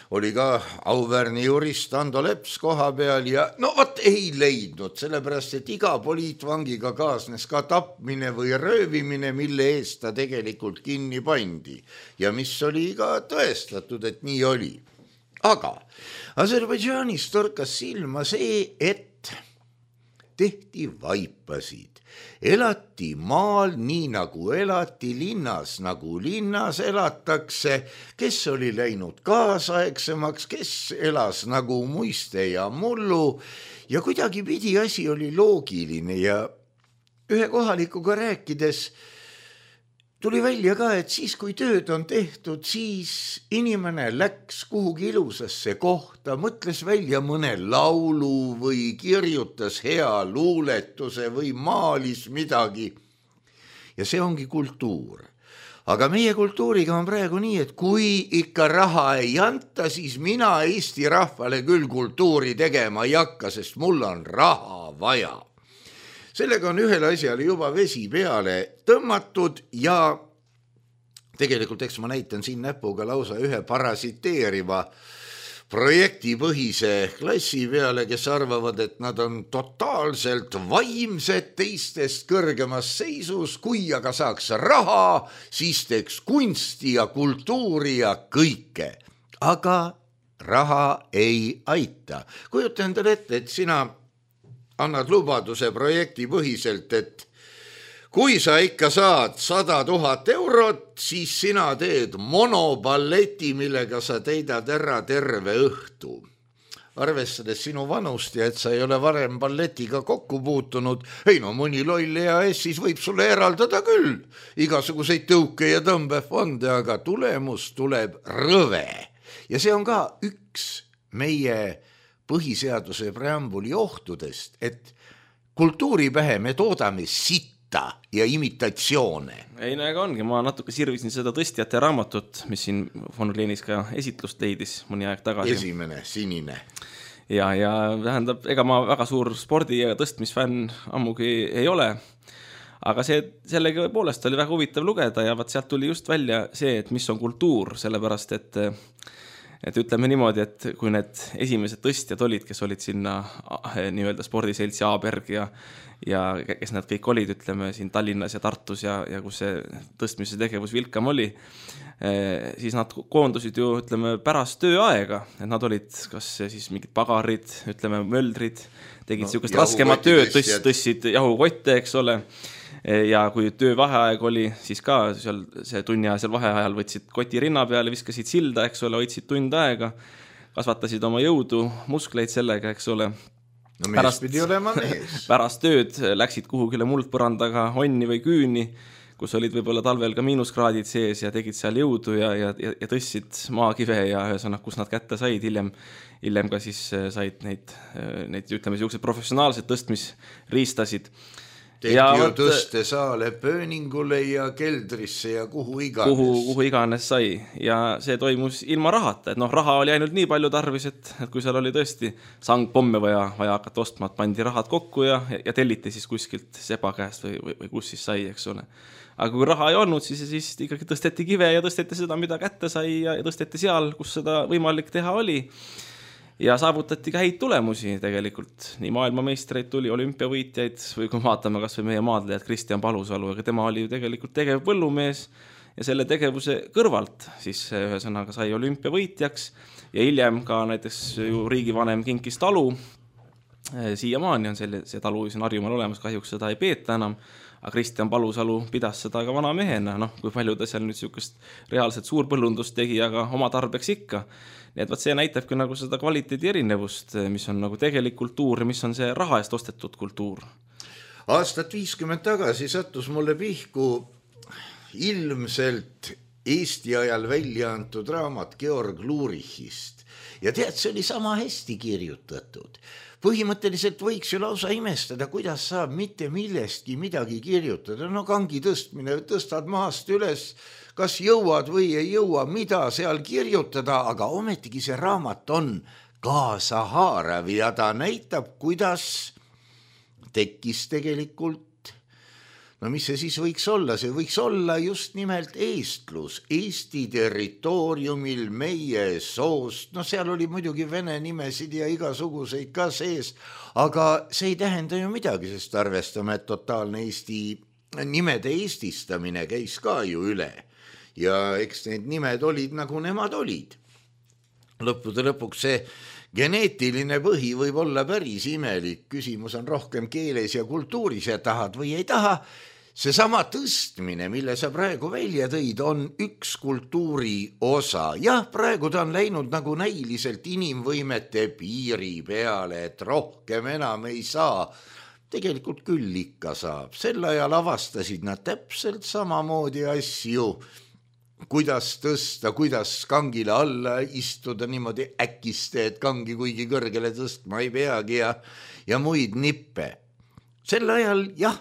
oli ka auväärne jurist Ando Leps koha peal ja no vot ei leidnud, sellepärast, et iga poliitvangiga kaasnes ka tapmine või röövimine, mille eest ta tegelikult kinni pandi ja mis oli ka tõestatud, et nii oli. Aga Aserbaidžaanis torkas silma see, et tehti vaipasid. Elati maal nii nagu elati, linnas nagu linnas elatakse, kes oli läinud kaasaegsemaks, kes elas nagu muiste ja mullu ja kuidagi pidi asi oli loogiline ja ühe kohalikuga rääkides tuli välja ka, et siis kui tööd on tehtud, siis inimene läks kuhugi ilusasse kohta, mõtles välja mõne laulu või kirjutas hea luuletuse või maalis midagi. Ja see ongi kultuur. Aga meie kultuuriga on praegu nii, et kui ikka raha ei anta, siis mina Eesti rahvale küll kultuuri tegema ei hakka, sest mul on raha vaja. Sellega on ühele asjale juba vesi peale tõmmatud ja tegelikult eks ma näitan siin näpuga lausa ühe parasiteeriva projektipõhise klassi peale, kes arvavad, et nad on totaalselt vaimsed teistest kõrgemas seisus, kui aga saaks raha, siis teeks kunsti ja kultuuri ja kõike. Aga raha ei aita. Kujuta endale ette, et sina annad lubaduse projektipõhiselt, et kui sa ikka saad 100 000 eurot, siis sina teed monoballeti, millega sa teidad ära terve õhtu. Arvestades sinu vanust ja et sa ei ole varem balletiga kokku puutunud, ei no mõni loll EAS siis võib sulle eraldada küll igasuguseid tõuke ja tõmbefonde, aga tulemus tuleb rõve. Ja see on ka üks meie põhiseaduse preambuli ohtudest, et kultuuripähe me toodame sitta ja imitatsioone. Ei, no ega ongi, ma natuke sirvisin seda tõstjate raamatut, mis siin von Orleanis ka esitlust leidis mõni aeg tagasi. Esimene, sinine. Ja tähendab, ega ma väga suur spordi- ja tõstmisfänn ammugi ei ole, aga sellega poolest oli väga huvitav lugeda ja sealt tuli just välja see, et mis on kultuur, sellepärast, et ütleme niimoodi, et kui need esimesed tõstjad olid, kes olid sinna nii-öelda spordiseltsi Aaberg ja kes nad kõik olid, ütleme siin Tallinnas ja Tartus ja kus see tõstmise tegevus vilkam oli, siis nad koondusid ju, ütleme, pärast tööaega, et nad olid kas siis mingid pagarid, ütleme, möldrid, tegid niisugust raskemat tööd, tõstsid jahukotte, eks ole. Ja kui töövaheaeg oli, siis ka see tunniajasel vaheajal võtsid koti rinna peale, viskasid silda, eks ole, hoidsid tund aega, kasvatasid oma jõudu, muskleid sellega, eks ole. No mees pidi olema mees. Pärast tööd läksid kuhugile muldpõrandaga onni või küüni, kus olid võib-olla talvel ka miinuskraadid sees ja tegid seal jõudu ja tõstsid maakive ja ühesõnaga, kus nad kätte said, hiljem ka siis said neid ütleme, sellised professionaalsed tõstmisriistasid. Tehti ju tõstesaale pööningule ja keldrisse ja kuhu iganes. Kuhu iganes sai ja see toimus ilma rahata, et raha oli ainult nii palju tarvis, et kui seal oli tõesti sangpomme vaja hakata ostma, pandi rahad kokku ja telliti siis kuskilt seba käest või kus siis sai, eks ole. Aga kui raha ei olnud, siis ikkagi tõsteti kive ja tõsteti seda, mida kätte sai ja tõsteti seal, kus seda võimalik teha oli. Ja saavutati ka häid tulemusi tegelikult. Nii maailmameistreid tuli, olümpiavõitjaid või kui vaatame kas või meie maadlejad Kristjan Palusalu, aga tema oli ju tegelikult tegev põllumees ja selle tegevuse kõrvalt siis ühesõnaga sai olümpiavõitjaks ja hiljem ka näiteks ju riigivanem kinkis talu. Siiamaani on see talu siin Harjumaal olemas, kahjuks seda ei peeta enam, aga Kristjan Palusalu pidas seda ka vana mehena, kui palju ta seal nüüd niisugust reaalset suurpõllundust tegi, aga oma tarbeks ikka. Nii et see näitabki nagu seda kvaliteedi erinevust, mis on nagu tegelik kultuur ja mis on see raha eest ostetud kultuur. Aastat 50 tagasi sattus mulle pihku ilmselt Eesti ajal välja antud raamat Georg Lurichist ja tead, see oli sama hästi kirjutatud. Põhimõtteliselt võiks ju lausa imestada, kuidas saab mitte millestki midagi kirjutada. No kangi tõstmine, tõstad maast üles, kas jõuad või ei jõua, mida seal kirjutada, aga ometigi see raamat on kaasa haarav ja ta näitab, kuidas tekkis tegelikult, no mis see siis võiks olla, see võiks olla just nimelt eestlus, Eesti territooriumil meie soost, no seal oli muidugi vene nimesid ja igasuguseid ka sees, aga see ei tähenda ju midagi, sest arvestame, et totaalne Eesti nimede eestistamine käis ka ju üle ja eks need nimed olid nagu nemad olid. Lõppude lõpuks see geneetiline põhi võib olla päris imelik, küsimus on rohkem keeles ja kultuuris ja tahad või ei taha. Seesama tõstmine, mille sa praegu välja tõid, on üks kultuuri osa. Jah, praegu ta on läinud nagu näiliselt inimvõimete piiri peale, et rohkem enam ei saa. Tegelikult küll ikka saab. Sel ajal avastasid nad täpselt samamoodi asju, kuidas tõsta, kuidas kangile alla istuda niimoodi äkiste, et kangi kuigi kõrgele tõstma ei peagi ja muid nippe. Sel ajal, jah,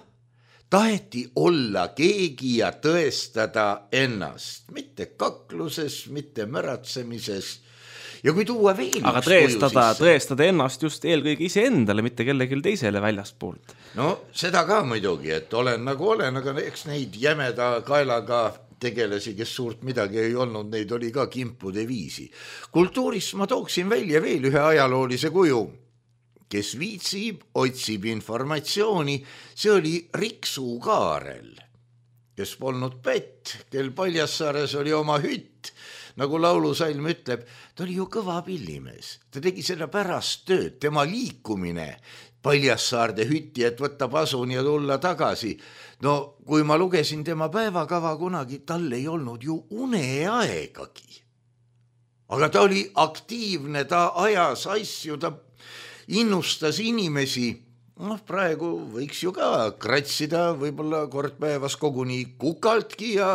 taheti olla keegi ja tõestada ennast, mitte kakluses, mitte märatsemises. Ja kui tuua veel aga tõestada ennast just eelkõige iseendale, mitte kellelgi teisele väljastpoolt. No seda ka muidugi, et olen nagu olen, aga eks neid jämeda kaelaga tegelasi, kes suurt midagi ei olnud, neid oli ka kimpude viisi. Kultuuris ma tooksin välja veel ühe ajaloolise kuju, kes viitsib, otsib informatsiooni, see oli Riksu Kaarel, kes polnud pätt, kel Paljassaares oli oma hütt, nagu laulusalm ütleb, ta oli ju kõva pillimees, ta tegi seda pärast tööd, tema liikumine Paljassaarde hütti, et võtta pasun ja tulla tagasi. No kui ma lugesin tema päevakava kunagi, tal ei olnud ju uneaegagi. Aga ta oli aktiivne, ta ajas asju, ta innustas inimesi. Noh, praegu võiks ju ka kratsida võib-olla kord päevas koguni kukaltki ja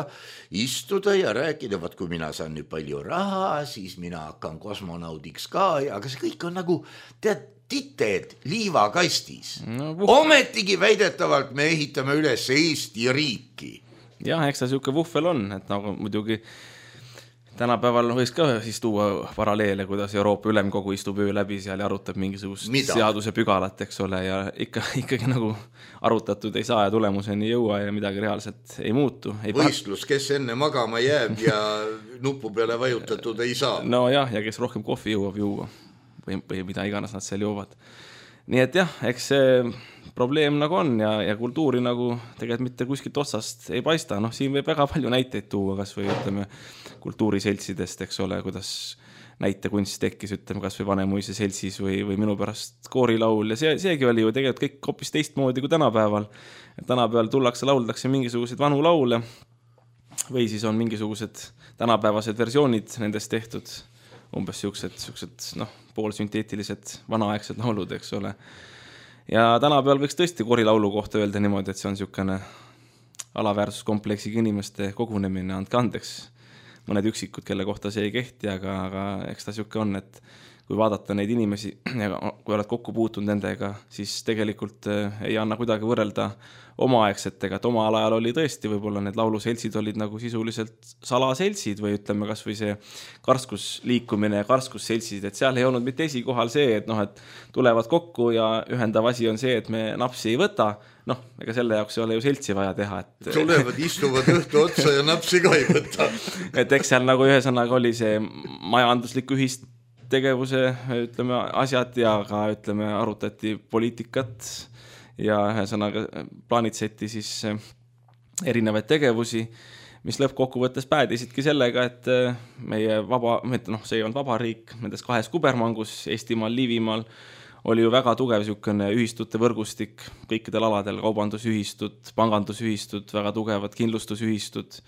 istuda ja rääkida, vaat kui mina saan nüüd palju raha, siis mina hakkan kosmonaudiks ka, aga see kõik on nagu, tead, tited liivakastis. Ometigi väidetavalt me ehitame üles Eesti riiki. Jah, eks ta siuke vuhvel on, et nagu muidugi tänapäeval võiks ka siis tuua paralleele, kuidas Euroopa Ülemkogu istub öö läbi seal ja arutab mingisugust seaduse pügalat, eks ole, ja ikkagi nagu arutatud ei saa ja tulemuseni jõua ja midagi reaalselt ei muutu. Võistlus, kes enne magama jääb ja nupu peale vajutatud ei saa. No jah, ja kes rohkem kohvi jõuab juua või mida iganes nad seal joovad. Nii et jah, eks see probleem nagu on ja kultuuri nagu tegelikult mitte kuskilt otsast ei paista. Noh, siin võib väga palju näiteid tuua, kas või ütleme kultuuriseltsidest, eks ole, kuidas näitekunst tekkis, ütleme kas või Vanemuise seltsis või minu pärast koorilaul ja seegi oli ju tegelikult kõik hoopis teistmoodi kui tänapäeval. Tänapäeval tullakse, lauldakse mingisuguseid vanu laule või siis on mingisugused tänapäevased versioonid nendest tehtud, umbes siuksed poolsünteetilised vanaaegsed laulud, eks ole. Ja tänapäeval võiks tõesti koorilaulu kohta öelda niimoodi, et see on siukene alaväärsuskompleksiga inimeste kogunemine, andke andeks mõned üksikud, kelle kohta see ei kehti, aga eks ta siuke on, et kui vaadata neid inimesi ja kui oled kokku puutunud nendega, siis tegelikult ei anna kuidagi võrrelda omaaegsetega, et oma alajal oli tõesti, võib-olla need lauluseltsid olid nagu sisuliselt salaseltsid või ütleme kas või see karskusliikumine ja karskusseltsid, et seal ei olnud mitte esikohal see, et et tulevad kokku ja ühendav asi on see, et me napsi ei võta, ega selle jaoks ei ole ju seltsi vaja teha. Tulevad, istuvad õhtu otsa ja napsi ka ei võta. Et eks seal nagu ühesõnaga oli see majanduslik ühistegevuse, ütleme, asjad ja ka, ütleme, arutati poliitikat ja ühesõnaga plaanitseti siis erinevaid tegevusi, mis lõppkokkuvõttes päädisidki sellega, et meie see ei olnud vabariik, nendes kahes kubermangus, Eestimaal, Liivimaal, oli ju väga tugev siukene ühistute võrgustik kõikidel aladel, kaubandusühistud, pangandusühistud, väga tugevad kindlustusühistud,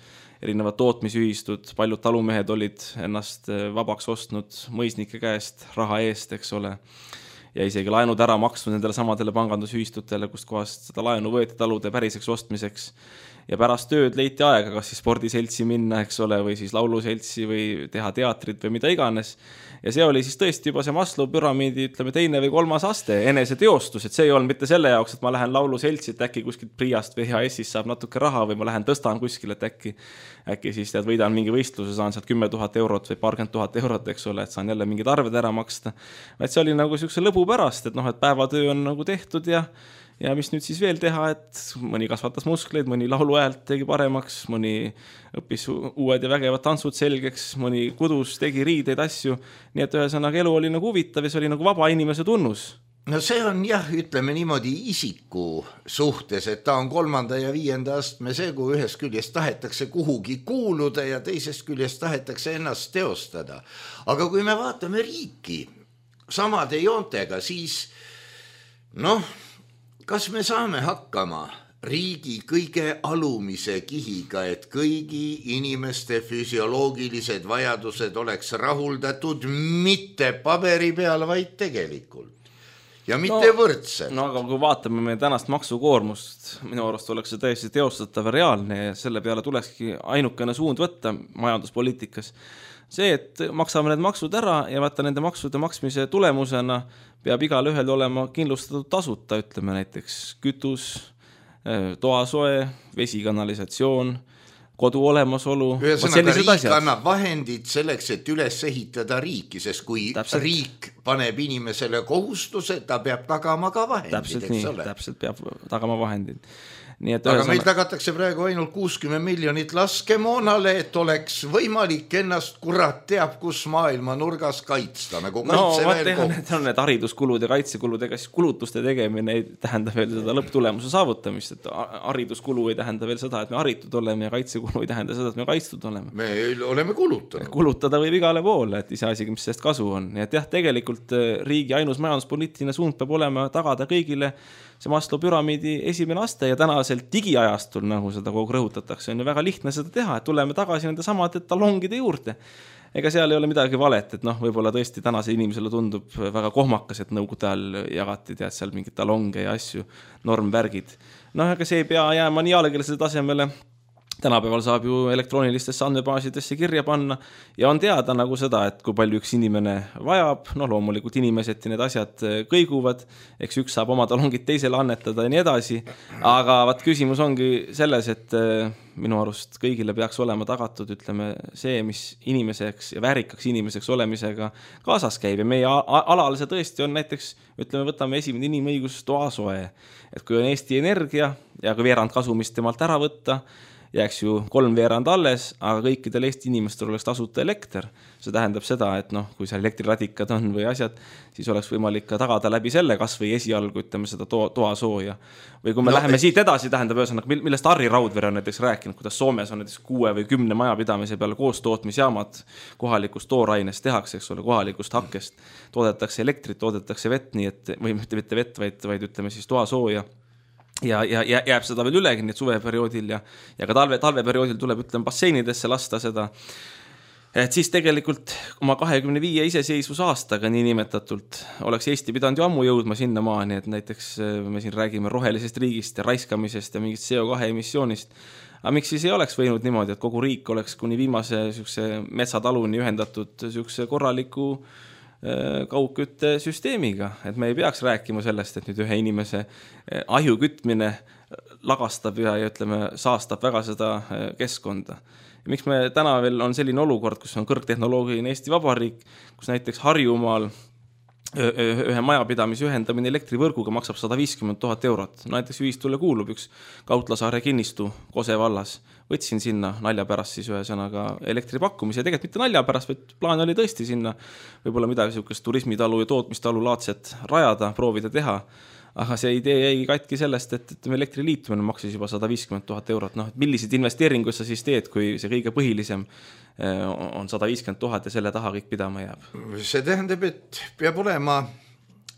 erinevad tootmisühistud, paljud talumehed olid ennast vabaks ostnud mõisnike käest raha eest, eks ole. ja isegi laenud ära maksnud nendele samadele pangandusühistutele, kust kohast seda laenu võeti talude päriseks ostmiseks. Ja pärast tööd leiti aega, kas siis spordiseltsi minna, eks ole, või siis lauluseltsi või teha teatrit või mida iganes. Ja see oli siis tõesti juba see Maslow püramiidi, ütleme, 2. või 3. aste, enese teostus, et see ei olnud mitte selle jaoks, et ma lähen lauluseltsi, et äkki kuskilt Priast või HSist saab natuke raha või ma lähen tõstan kuskil, et äkki siis tead, võidan mingi võistluse, saan sealt 10 000 eurot või 20 000 eurot, eks ole, et saan jälle mingid arved ära maksta. Et see oli nagu sellise lõbu pärast, et noh, et päevatöö on nagu tehtud ja mis nüüd siis veel teha, et mõni kasvatas muskleid, mõni laulu häält tegi paremaks, mõni õppis uued ja vägevad tantsud selgeks, mõni kudus, tegi riideid asju, nii et ühesõnaga elu oli nagu huvitav ja see oli nagu vaba inimese tunnus. No see on jah, ütleme niimoodi isiku suhtes, et ta on 3. ja 5. astme see, kui ühest küljest tahetakse kuhugi kuuluda ja teisest küljest tahetakse ennast teostada. Aga kui me vaatame riiki samade joontega, siis kas me saame hakkama riigi kõige alumise kihiga, et kõigi inimeste füsioloogilised vajadused oleks rahuldatud mitte paberi peal, vaid tegelikult ja mitte võrdselt? No aga kui vaatame meie tänast maksukoormust, minu arust oleks see täiesti teostatav ja reaalne ja selle peale tulekski ainukene suund võtta majanduspoliitikas. See, et maksame need maksud ära ja vaata nende maksude maksmise tulemusena peab igal ühel olema kindlustatud tasuta, ütleme näiteks kütus, toasoe, vesikanalisatsioon, kodu olemasolu. Ühesõnaga riik annab vahendid selleks, et üles ehitada riiki, sest kui riik paneb inimesele kohustuse, ta peab tagama ka vahendid, eks ole. Täpselt peab tagama vahendid. Aga meil tagatakse praegu ainult 60 miljonit laskemoonale, et oleks võimalik ennast kurat teab, kus maailma nurgas kaitsta. Nagu need on need hariduskulud ja kaitsekulud, ega siis kulutuste tegemine ei tähenda veel seda lõpptulemuse saavutamist, et hariduskulu ei tähenda veel seda, et me haritud oleme ja kaitsekulu ei tähenda seda, et me kaitstud oleme. Me oleme kulutanud. Kulutada võib igale poole, et ise asi, mis sellest kasu on. Nii et jah, tegelikult riigi ainus majanduspoliitiline suund peab olema tagada kõigile see Maslow püramiidi esimene aste ja tänasel digiajastul, nagu seda kogu rõhutatakse, on ju väga lihtne seda teha, et tuleme tagasi nende samade talongide juurde. Ega seal ei ole midagi valet, et võib-olla tõesti tänase inimesele tundub väga kohmakas, et nõukogude ajal jagati seal mingid talonge ja asju, normvärgid. Ega see ei pea jääma nii alakeelsele tasemele. Tänapäeval saab ju elektroonilistesse andmebaasidesse kirja panna ja on teada nagu seda, et kui palju üks inimene vajab, loomulikult inimesed ja need asjad kõiguvad, eks üks saab oma talongid teisele annetada ja nii edasi, aga küsimus ongi selles, et minu arust kõigile peaks olema tagatud, ütleme, see, mis inimeseks ja väärikaks inimeseks olemisega kaasas käib ja meie alal see tõesti on näiteks, ütleme, võtame esimene inimõigus toasoe, et kui on Eesti Energia ja kui veerand kasumist temalt ära võtta, jääks ju 3/4 alles, aga kõikidel Eesti inimestel oleks tasuta elekter. See tähendab seda, et kui seal elektriradikad on või asjad, siis oleks võimalik ka tagada läbi selle kas või esialgu, ütleme, seda toasooja. Või kui me läheme siit edasi, tähendab ühesõnaga, millest Harri Raudvere on näiteks rääkinud, kuidas Soomes on näiteks 6 või 10 majapidamise peale koostootmisjaamad kohalikust toorainest tehakse, eks ole, kohalikust hakkest. Toodetakse elektrit, toodetakse vett, nii et, või mitte vett, vaid ütleme siis toasooja. Ja jääb seda veel ülegi, nii et suveperioodil ja ka talveperioodil tuleb, ütleme, basseinidesse lasta seda. Et siis tegelikult oma 25 iseseisvus aastaga nii nimetatult oleks Eesti pidanud ju ammu jõudma sinna maani, et näiteks me siin räägime rohelisest riigist ja raiskamisest ja mingist CO2 emissioonist. Aga miks siis ei oleks võinud niimoodi, et kogu riik oleks kuni viimase metsataluni ühendatud korraliku kaugkütte süsteemiga, et me ei peaks rääkima sellest, et nüüd ühe inimese ahju kütmine lagastab ja ütleme, saastab väga seda keskkonda. Ja miks me täna veel on selline olukord, kus on kõrgtehnoloogiline Eesti Vabariik, kus näiteks Harjumaal ühe majapidamise ühendamine elektrivõrguga maksab 150 000 eurot. Näiteks ühistule kuulub üks Kautlasaare kinnistu Kose vallas. Võtsin sinna nalja pärast siis ühesõnaga elektripakkumise ja tegelikult mitte nalja pärast, vaid plaan oli tõesti sinna võib-olla midagi sihukest turismitalu ja tootmistalu laadset rajada, proovida teha. Aga see idee jäi katki sellest, et elektriliitumine maksis juba 150 000 eurot. Milliseid investeeringuid sa siis teed, kui see kõige põhilisem on 150 000 ja selle taha kõik pidama jääb? See tähendab, et peab olema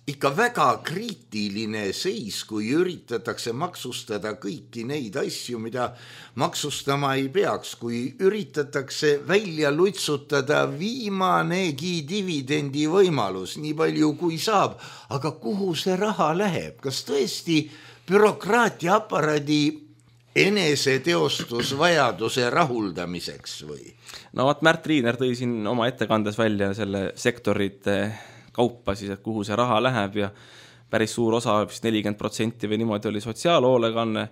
ikka väga kriitiline seis, kui üritatakse maksustada kõiki neid asju, mida maksustama ei peaks, kui üritatakse välja lutsutada viimanegi dividendi võimalus, nii palju kui saab, aga kuhu see raha läheb? Kas tõesti bürokraatia aparaadi eneseteostusvajaduse rahuldamiseks või? No vaat Märt Riiner tõi siin oma ettekandes välja selle sektorite kaupa siis, et kuhu see raha läheb ja päris suur osa, 40% või niimoodi oli sotsiaalhoolekanne,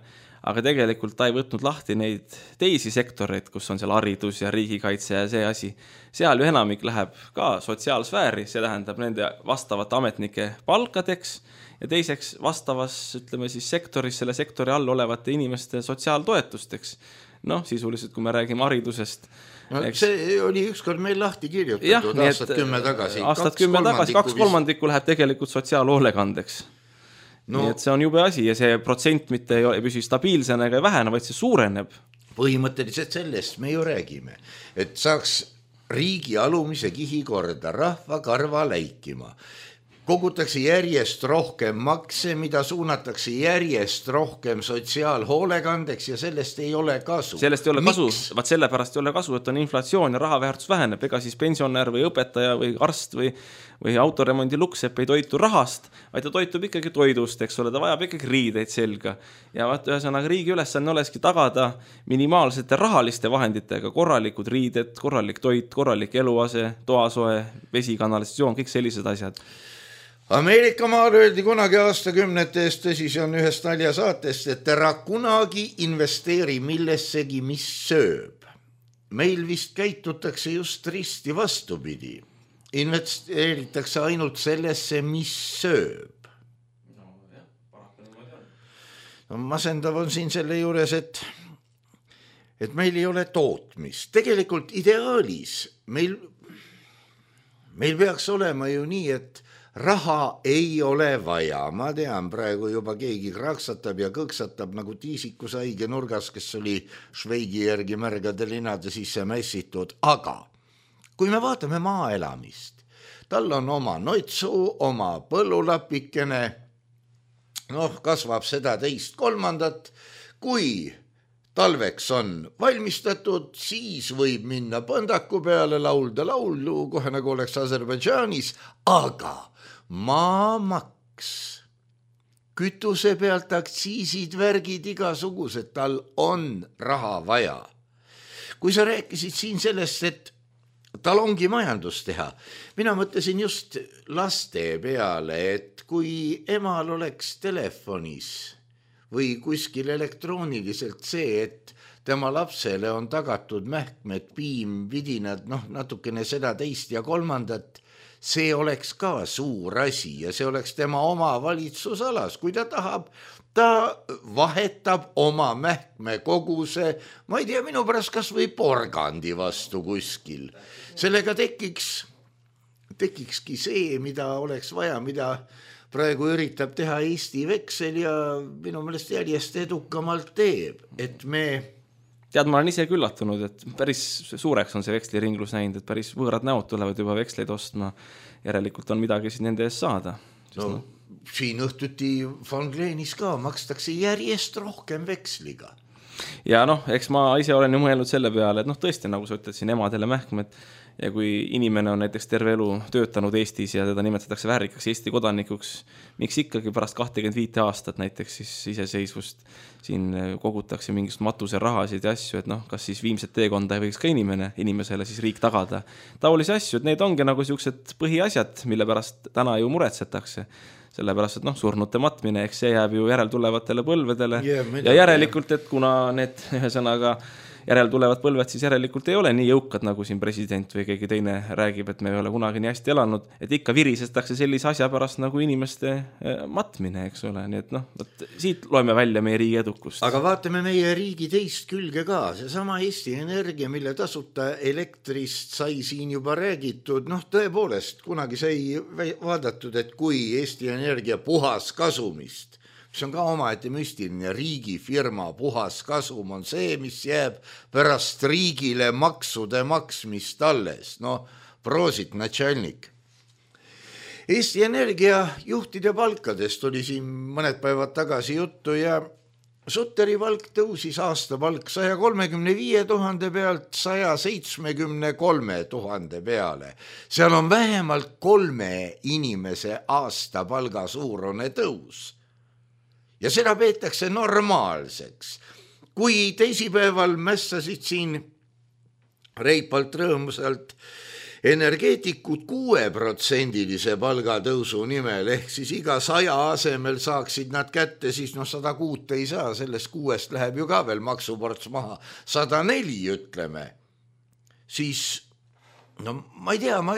aga tegelikult ta ei võtnud lahti neid teisi sektoreid, kus on seal haridus ja riigikaitse ja see asi. Seal ju enamik läheb ka sotsiaalsfääri, see tähendab nende vastavate ametnike palkadeks ja teiseks vastavas, ütleme siis sektoris, selle sektori all olevate inimeste sotsiaaltoetusteks. Noh, sisuliselt, kui me räägime haridusest. No, see oli ükskord meil lahti kirjutatud aastat 10 tagasi. Aastat 10 tagasi, 2/3 läheb tegelikult sotsiaalhoolekandeks. No, nii et see on jube asi ja see protsent mitte ei püsi stabiilsena ega vähene, vaid see suureneb. Põhimõtteliselt sellest me ju räägime, et saaks riigi alumise kihi korda rahva karva läikima. Kogutakse järjest rohkem makse, mida suunatakse järjest rohkem sotsiaalhoolekandeks ja sellest ei ole kasu. Sellest ei ole kasu, vaat sellepärast ei ole kasu, et on inflatsioon ja rahaväärtus väheneb, ega siis pensionär või õpetaja või arst või autoremondi luksepp ei toitu rahast, vaid ta toitub ikkagi toidust, eks ole, ta vajab ikkagi riideid selga. Ja vaat ühesõnaga riigi ülesanne olekski tagada minimaalsete rahaliste vahenditega korralikud riided, korralik toit, korralik eluase, toasoe, vesikanalisatsioon, kõik sellised asjad. Ameerika maal öeldi kunagi aastakümnete eest, tõsi, see on ühest naljasaatest, et ära kunagi investeeri millessegi, mis sööb. Meil vist käitutakse just risti vastupidi. Investeeritakse ainult sellesse, mis sööb. No, masendav on siin selle juures, et meil ei ole tootmist. Tegelikult ideaalis meil peaks olema ju nii, et raha ei ole vaja. Ma tean, praegu juba keegi kraksatab ja kõksatab nagu tiisikusaige nurgas, kes oli Šveigi järgi märgade linade sisse mässitud. Aga kui me vaatame maaelamist, tal on oma noitsu, oma põllulapikene, kasvab seda 2/3, kui talveks on valmistatud, siis võib minna põndaku peale, laulda laulu, kohe nagu oleks Aserbaidžaanis, aga maamaks, kütuse pealt aktsiisid, värgid, igasugused, tal on raha vaja. Kui sa rääkisid siin sellest, et tal ongi majandus teha, mina mõtlesin just laste peale, et kui emal oleks telefonis või kuskil elektrooniliselt see, et tema lapsele on tagatud mähkmed, piim, vidinad, natukene seda 2 ja 3, see oleks ka suur asi ja see oleks tema oma valitsusalas. Kui ta tahab, ta vahetab oma mähkme koguse, ma ei tea, minu pärast kas või porgandi vastu kuskil. Sellega tekikski see, mida oleks vaja, mida praegu üritab teha Eesti veksel ja minu meelest järjest edukamalt teeb, et Tead, ma olen ise küllatunud, et päris suureks on see veksliringlus näinud, et päris võõrad näod tulevad juba veksleid ostma. Järelikult on midagi siis nende eest saada. Siin õhtuti Van Gleenis ka makstakse järjest rohkem veksliga. Ja eks ma ise olen ju mõelnud selle peale, et tõesti, nagu sa ütled siin emadele mähkmed, ja kui inimene on näiteks terve elu töötanud Eestis ja teda nimetatakse väärikaks Eesti kodanikuks, miks ikkagi pärast 25 aastat näiteks siis iseseisvust siin kogutakse mingist matuse rahasid ja asju, et kas siis viimset teekonda ei võiks ka inimesele siis riik tagada. Taolisi asju, et need ongi nagu sellised põhiasjad, mille pärast täna ju muretsetakse. Sellepärast, et surnute matmine, eks see jääb ju järeltulevatele põlvedele ja järelikult, et kuna need ühesõnaga järeltulevad põlved siis järelikult ei ole nii jõukad, nagu siin president või keegi teine räägib, et me ei ole kunagi nii hästi elanud, et ikka virisestatakse sellise asja pärast nagu inimeste matmine, eks ole. Nii et siit loeme välja meie riigi edukust. Aga vaatame meie riigi teist külge ka. Seesama Eesti Energia, mille tasuta elektrist sai siin juba räägitud, tõepoolest, kunagi sai vaadatud, et kui Eesti Energia puhas kasumist, mis on ka omaette müstiline, riigifirma puhas kasum on see, mis jääb pärast riigile maksude maksmist alles. Proosit, natšalnik. Eesti Energia juhtide palkadest oli siin mõned päevad tagasi juttu ja Sutteri palk tõusis aastapalk 135 000 pealt 173 000 peale. Seal on vähemalt 3 inimese aastapalga suurune tõus. Ja seda peetakse normaalseks. Kui teisipäeval mässasid siin reipalt rõõmsalt energeetikud 6% palgatõusu nimel, ehk siis iga 100 asemel saaksid nad kätte, siis 106 ei saa, sellest 6 läheb ju ka veel maksuports maha, 104 ütleme. Siis, ma ei tea, ma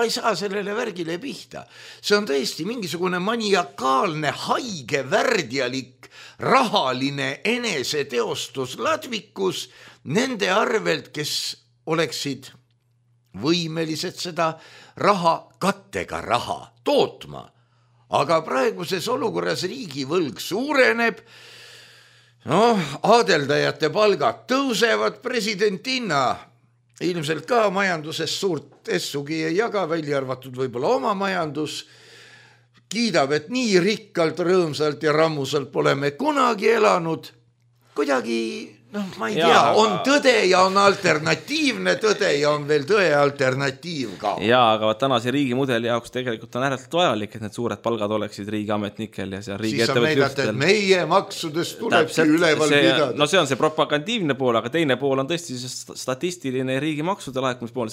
ei saa sellele värgile pihta. See on tõesti mingisugune maniakaalne, haige, värdjalik, rahaline eneseteostusladvikus nende arvelt, kes oleksid võimelised seda kattega raha tootma. Aga praeguses olukorras riigivõlg suureneb, aadeldajate palgad tõusevad, presidentinna ilmselt ka majanduses suurt essugi ei jaga, välja arvatud võib-olla oma majandus, kiidab, et nii rikkalt, rõõmsalt ja rammusalt pole me kunagi elanud, kuidagi ma ei tea, on tõde ja on alternatiivne tõde ja on veel tõe alternatiiv ka. Jaa, aga tänase riigimudeli jaoks tegelikult on ääretult vajalik, et need suured palgad oleksid riigiametnikel ja seal riigi ettevõttel. Siis sa meidate, et meie maksudest tulebki üleval pidada. No see on see propagandiivne pool, aga teine pool on tõesti statistiline riigi maksude laekumispool.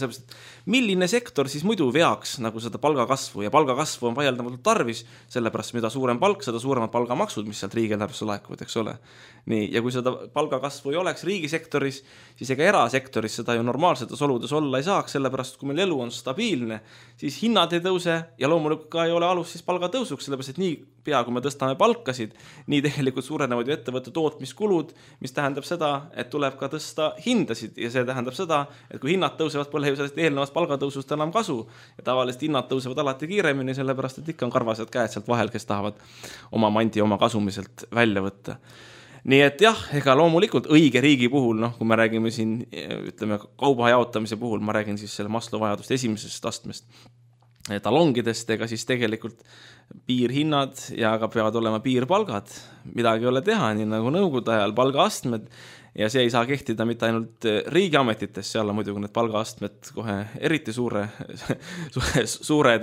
Milline sektor siis muidu veaks nagu seda palgakasvu ja palgakasvu on vaieldamatult tarvis, sellepärast mida suurem palk, seda suuremad palgamaksud, mis sealt riigieelarvesse laekuvad, eks ole. Nii, ja kui seda palgakasvu ei oleks riigisektoris, siis ega erasektoris seda ju normaalsetes oludes olla ei saaks, sellepärast kui meil elu on stabiilne, siis hinnad ei tõuse ja loomulikult ka ei ole alus siis palgatõusuks, sellepärast et nii pea, kui me tõstame palkasid, nii tegelikult suurenevad ju ettevõtte tootmiskulud, mis tähendab seda, et tuleb ka tõsta hindasid ja see tähendab seda, et kui hinnad tõusevad, pole ju sellest eelnevast palgatõusust enam kasu ja tavaliselt hinnad tõusevad alati kiiremini, sellepärast et ikka on karvased käed sealt vahel, kes tahavad oma mandi oma kasumiselt välja võtta. Nii et jah, ega loomulikult õige riigi puhul, kui me räägime siin, ütleme, kauba jaotamise puhul, ma räägin siis selle Maslow vajaduste esimesest astmest talongidest, ega siis tegelikult piirhinnad ja ka peavad olema piirpalgad, midagi ei ole teha, nii nagu nõukogude ajal palgaastmed ja see ei saa kehtida mitte ainult riigiametites, seal on muidugi need palgaastmed kohe eriti suured,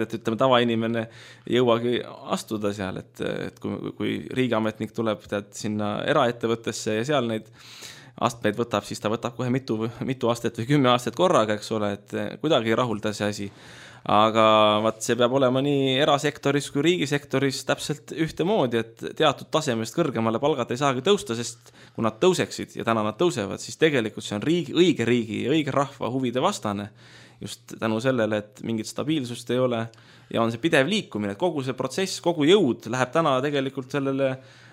et ütleme tavainimene ei jõuagi astuda seal, et kui riigiametnik tuleb sinna eraettevõttesse ja seal neid astmeid võtab, siis ta võtab kohe mitu aastat või 10 aastat korraga, eks ole, et kuidagi ei rahulda see asi. Aga see peab olema nii erasektoris kui riigisektoris täpselt ühtemoodi, et teatud tasemest kõrgemale palgad ei saagi tõusta, sest kui nad tõuseksid ja täna nad tõusevad, siis tegelikult see on õige riigi ja õige rahva huvide vastane just tänu sellele, et mingit stabiilsust ei ole ja on see pidev liikumine, et kogu see protsess, kogu jõud läheb täna tegelikult selle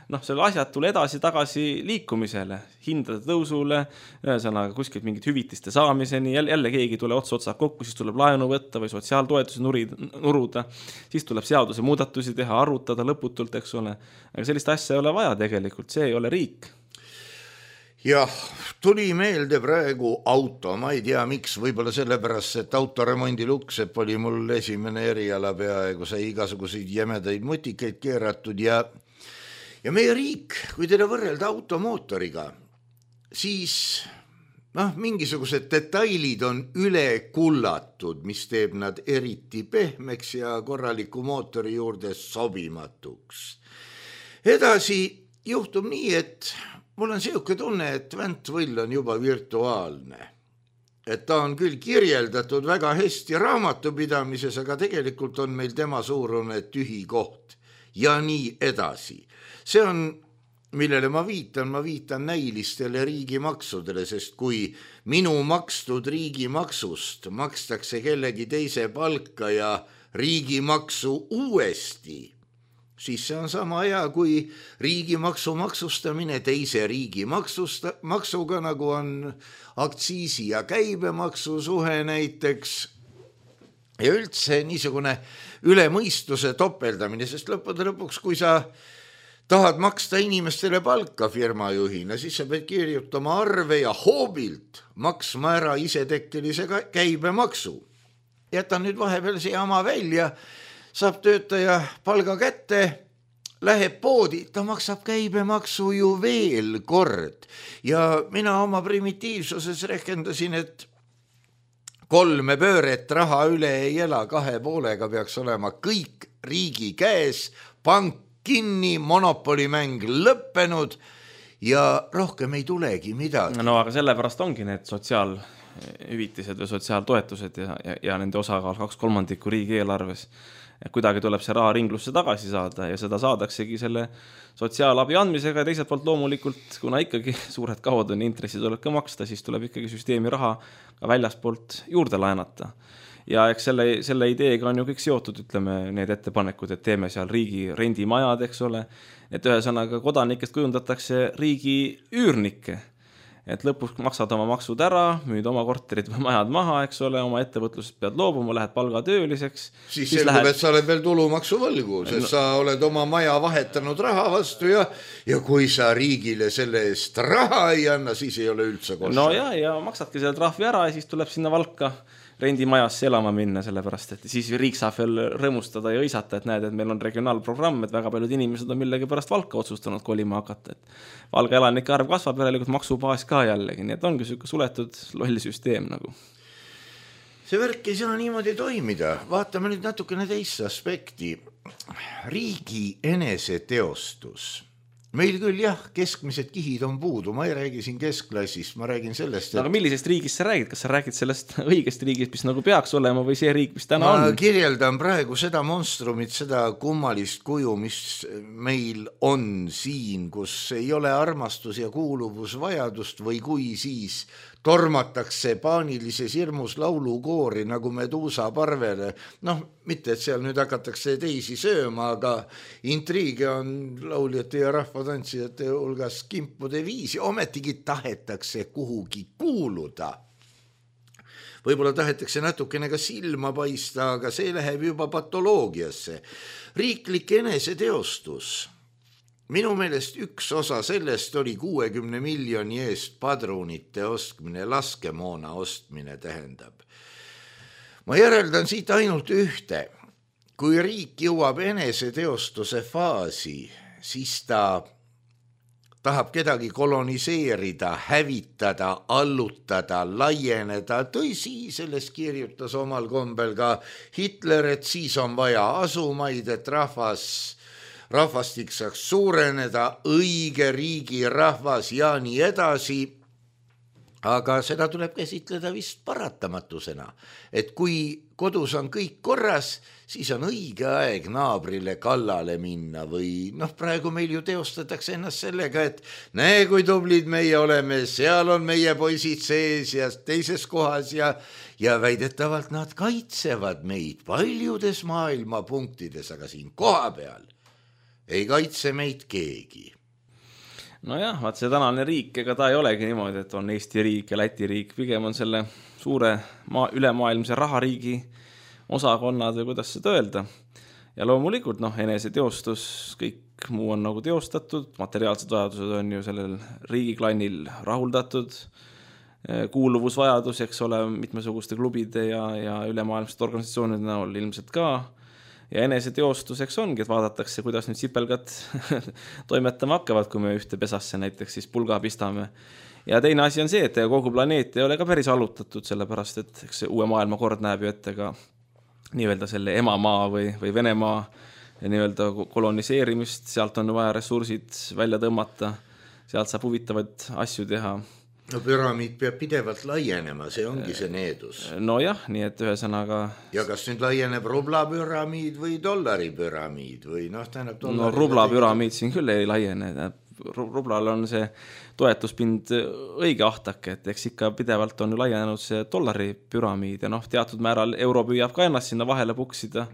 asjatule edasi-tagasi liikumisele, hindade tõusule, ühesõnaga kuskilt mingit hüvitiste saamiseni, jälle keegi tule otsa kokku, siis tuleb laenu võtta või sotsiaaltoetusi nuruda, siis tuleb seaduse muudatusi teha, arutada lõputult, eks ole. Aga sellist asja ei ole vaja tegelikult, see ei ole riik. Jah, tuli meelde praegu auto, ma ei tea miks, võib-olla sellepärast, et autoremondi Luksepp oli mul esimene eriala peaaegu, sai igasuguseid jämedaid mutikeid keeratud ja meie riik, kui teda võrrelda automootoriga, siis mingisugused detailid on üle kullatud, mis teeb nad eriti pehmeks ja korraliku mootori juurde sobimatuks. Edasi juhtub nii, et mul on selline tunne, et Väntvõll on juba virtuaalne. Et ta on küll kirjeldatud väga hästi raamatupidamises, aga tegelikult on meil tema suurune tühi koht ja nii edasi. See on, millele ma viitan näilistele riigimaksudele, sest kui minu makstud riigimaksust makstakse kellegi teise palka ja riigimaksu uuesti, siis see on sama hea kui riigimaksu maksustamine teise riigimaksuga, nagu on aktsiisi ja käibemaksu suhe näiteks. Ja üldse niisugune üle mõistuse topeldamine, sest lõpuks, kui sa tahad maksta inimestele palka firmajuhina, siis sa pead kirjutama arve ja hoobilt maksma ära isetekkelise käibemaksu. Jätan nüüd vahepeal see jama välja, saab töötaja palga kätte, läheb poodi, ta maksab käibemaksu ju veel kord. Ja mina oma primitiivsuses rehkendasin, et 3 pööret raha üle ei ela, 2,5 peaks olema kõik riigi käes, pank kinni, monopolimäng lõppenud ja rohkem ei tulegi midagi. No aga sellepärast ongi need sotsiaalhüvitised või sotsiaaltoetused ja nende osakaal 2/3 riigieelarves. Kuidagi tuleb see raha ringlusse tagasi saada ja seda saadaksegi selle sotsiaalabi andmisega ja teiselt poolt loomulikult, kuna ikkagi suured kaod on intressid tuleb ka maksta, siis tuleb ikkagi süsteemi raha ka väljaspoolt juurde laenata. Ja eks selle ideega on ju kõik seotud, ütleme, need ettepanekud, et teeme seal riigi rendimajad, eks ole, et ühesõnaga kodanikest kujundatakse riigi üürnikke. Et lõpuks maksad oma maksud ära, müüd oma korterid või majad maha, eks ole, oma ettevõtlusest pead loobuma, lähed palgatööliseks. Siis selgub, et sa oled veel tulumaksu võlgu, sest sa oled oma maja vahetanud raha vastu ja kui sa riigile selle eest raha ei anna, siis ei ole üldse kosta. No ja maksadki selle trahvi ära ja siis tuleb sinna Valka rendimajasse elama minna, sellepärast, et siis riik saab veel rõõmustada ja õisata, et näed, et meil on regionaalprogramm, et väga paljud inimesed on millegi pärast Valka otsustanud kolima hakata, et Valga elanike arv kasvab, järelikult maksubaas ka jällegi, nii et ongi selline suletud loll süsteem nagu. See värk ei saa niimoodi toimida, vaatame nüüd natukene teist aspekti. Riigi eneseteostus. Meil küll jah, keskmised kihid on puudu, ma ei räägi siin keskklassist, ma räägin sellest, et... Aga millisest riigist sa räägid? Kas sa räägid sellest õigest riigist, mis nagu peaks olema või see riik, mis täna ma on? Ma kirjeldan praegu seda monstrumit, seda kummalist kuju, mis meil on siin, kus ei ole armastus ja kuuluvusvajadust või kui siis tormatakse paanilises hirmus laulukoori nagu Medusa parvele. Noh, mitte, et seal nüüd hakatakse teisi sööma, aga intriige on lauljate ja rahvatantsijate hulgas kimpude viisi. Ometigi tahetakse kuhugi kuuluda. Võib-olla tahetakse natukene ka silma paista, aga see läheb juba patoloogiasse. Riiklik eneseteostus. Minu meelest üks osa sellest oli 60 miljoni eest padrunite ostmine, laskemoona ostmine tähendab. Ma järeldan siit ainult ühte. Kui riik jõuab eneseteostuse faasi, siis ta tahab kedagi koloniseerida, hävitada, allutada, laieneda. Tõsi, sellest kirjutas omal kombel ka Hitler, et siis on vaja asumaid, et rahvastik saaks suureneda, õige riigi rahvas ja nii edasi. Aga seda tuleb käsitleda vist paratamatusena, et kui kodus on kõik korras, siis on õige aeg naabrile kallale minna või praegu meil ju teostatakse ennast sellega, et näe, kui tublid meie oleme, seal on meie poisid sees ja teises kohas ja väidetavalt nad kaitsevad meid paljudes maailma punktides, aga siin koha peal ei kaitse meid keegi. Nojah, vaat see tänane riik, ega ta ei olegi niimoodi, et on Eesti riik ja Läti riik, pigem on selle suure ülemaailmse rahariigi osakonnad või kuidas seda öelda. Ja loomulikult eneseteostus, kõik muu on nagu teostatud, materiaalsed vajadused on ju sellel riigiklannil rahuldatud, kuuluvusvajadus, eks ole, mitmesuguste klubide ja ülemaailmsed organisatsioonid näol ilmselt ka. Ja eneseteostuseks ongi, et vaadatakse, kuidas nüüd sipelgad toimetama hakkavad, kui me ühte pesasse näiteks siis pulga pistame. Ja teine asi on see, et kogu planeet ei ole ka päris allutatud, sellepärast, et eks uue maailma kord näeb ju ette ka nii-öelda selle emamaa või Venemaa nii-öelda koloniseerimist, sealt on vaja ressursid välja tõmmata, sealt saab huvitavaid asju teha. No püramiid peab pidevalt laienema, see ongi see needus. No jah, nii et ühesõnaga... Ja kas nüüd laieneb rublapüramiid või dollaripüramiid või tähendab dollari... No rublapüramiid siin küll ei laiene. Rublal on see toetuspind õige ahtake, et eks ikka pidevalt on laienenud see dollaripüramiid ja teatud määral euro püüab ka ennast sinna vahele puksida,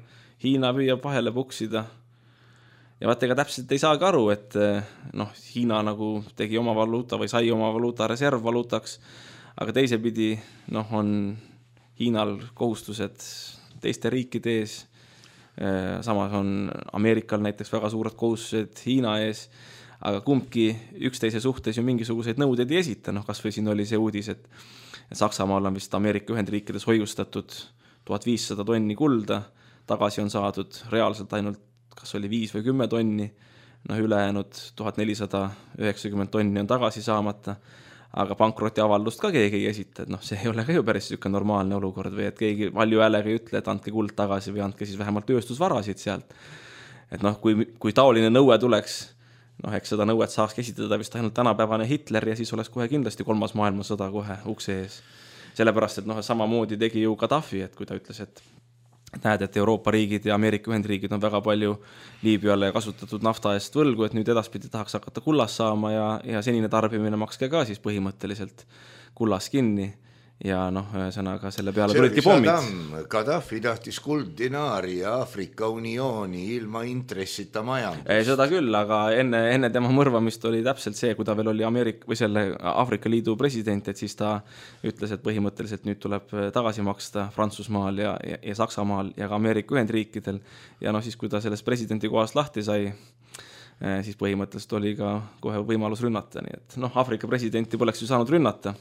Hiina püüab vahele puksida. Ja vaat ega täpselt ei saagi aru, et Hiina nagu tegi oma valuuta või sai oma valuuta reservvaluutaks, aga teisepidi on Hiinal kohustused teiste riikide ees, samas on Ameerikal näiteks väga suured kohustused Hiina ees, aga kumbki üksteise suhtes ju mingisuguseid nõudeid ei esita, kas või siin oli see uudis, et Saksamaal on vist Ameerika Ühendriikides hoiustatud 1500 tonni kulda, tagasi on saadud reaalselt ainult kas oli 5 või 10 tonni, ülejäänud 1490 tonni on tagasi saamata, aga pankrotiavaldust ka keegi ei esita, et see ei ole ka ju päris niisugune normaalne olukord või et keegi valju häälega ei ütle, et andke kuld tagasi või andke siis vähemalt tööstusvarasid sealt. Et kui taoline nõue tuleks, eks seda nõuet saaks esitada vist ainult tänapäevane Hitler ja siis oleks kohe kindlasti 3. maailmasõda kohe ukse ees. Sellepärast, et samamoodi tegi ju Gaddafi, et kui ta ütles, et näed, et Euroopa riigid ja Ameerika Ühendriigid on väga palju Liibüale kasutatud nafta eest võlgu, et nüüd edaspidi tahaks hakata kullas saama ja senine tarbimine makske ka siis põhimõtteliselt kullas kinni. Ja ühesõnaga selle peale tulidki pommid. Gaddafi tahtis kuldinaari ja Aafrika uniooni ilma intressita majandus. Seda küll, aga enne tema mõrvamist oli täpselt see, kui ta veel oli Aafrika Liidu president, et siis ta ütles, et põhimõtteliselt nüüd tuleb tagasi maksta Prantsusmaal ja Saksamaal ja ka Ameerika Ühendriikidel. Ja siis, kui ta sellest presidenti kohast lahti sai, siis põhimõtteliselt oli ka kohe võimalus rünnata. Nii et Aafrika presidenti poleks ju saanud rünnata.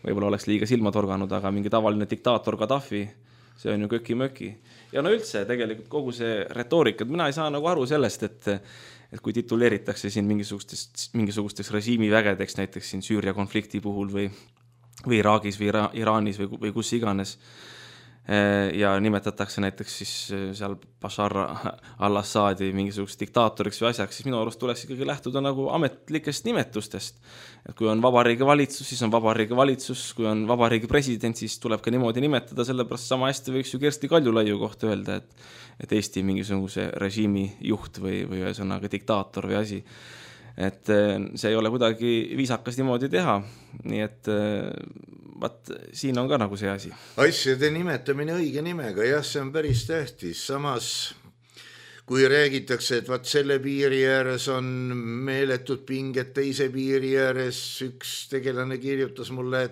Võib-olla oleks liiga silma torganud, aga mingi tavaline diktaator Gaddafi, see on ju köki-möki. Ja üldse tegelikult kogu see retoorika, mina ei saa aru sellest, et kui tituleeritakse siin mingisugusteks režiimivägedeks, näiteks siin Süüria konflikti puhul või Iraagis või Iraanis või kus iganes, ja nimetatakse näiteks siis seal Bashar al-Assadi mingisugust diktaatoriks või asjaks, siis minu arust tuleks ikkagi lähtuda ametlikest nimetustest. Et kui on vabariigi valitsus, siis on vabariigi valitsus, kui on vabariigi president, siis tuleb ka niimoodi nimetada, sellepärast sama hästi võiks ju Kersti Kaljulaiu kohta öelda, et Eesti mingisuguse režiimi juht või ühesõnaga diktaator või asi. Et see ei ole kuidagi viisakas niimoodi teha, nii et siin on ka see asi. Asjade nimetamine õige nimega, jah, see on päris tähtis. Samas, kui räägitakse, et selle piiri ääres on meeletud pinged teise piiri ääres, üks tegelane kirjutas mulle,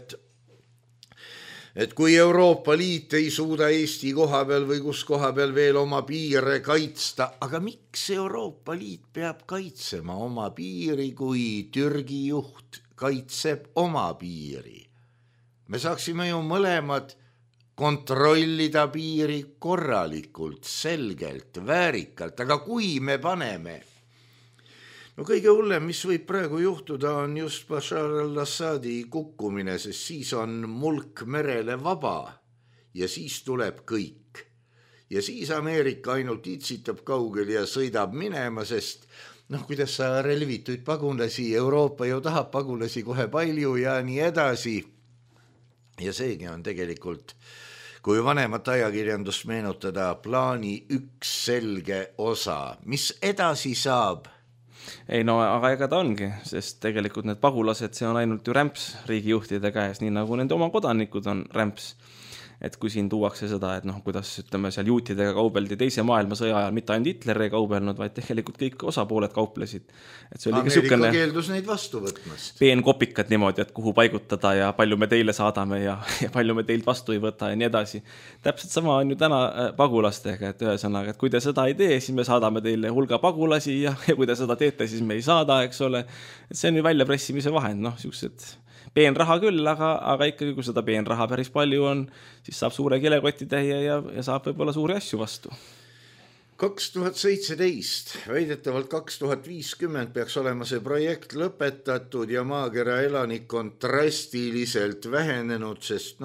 et kui Euroopa Liit ei suuda Eesti koha peal või kus koha peal veel oma piire kaitsta, aga miks Euroopa Liit peab kaitsema oma piiri, kui Türgi juht kaitseb oma piiri? Me saaksime ju mõlemad kontrollida piiri korralikult, selgelt, väärikalt, aga kui me paneme, kõige hullem, mis võib praegu juhtuda, on just Bashar al-Assadi kukkumine, sest siis on mulk merele vaba ja siis tuleb kõik. Ja siis Ameerika ainult itsitab kaugel ja sõidab minema, sest kuidas sa relvituid pagulasi, Euroopa ju tahab pagulasi kohe palju ja nii edasi. Ja seegi on tegelikult, kui vanemat ajakirjandust meenutada, plaani üks selge osa. Mis edasi saab? Ei, aga ega ta ongi, sest tegelikult need pagulased, see on ainult ju rämps riigijuhtide käes, nii nagu nende oma kodanikud on rämps. Et kui siin tuuakse seda, et kuidas ütleme seal juutidega kaubeldi teise maailmasõja ajal, mitte ainult Hitler ei kaubelnud, vaid tegelikult kõik osapooled kauplesid. Et see oli Ameerika keeldus neid vastu võtmast. Peenkopikad niimoodi, et kuhu paigutada ja palju me teile saadame ja palju me teilt vastu ei võta ja nii edasi. Täpselt sama on ju täna pagulastega, et ühesõnaga, et kui te seda ei tee, siis me saadame teile hulga pagulasi ja kui te seda teete, siis me ei saada, eks ole. Et see on ju väljapressimise vahend, siuksed peenraha küll, aga ikkagi, kui seda peenraha päris palju on, siis saab suure kilekotitäie ja saab võib-olla suuri asju vastu. 2017, väidetavalt 2050 peaks olema see projekt lõpetatud ja maakera elanikkond drastiliselt vähenenud, sest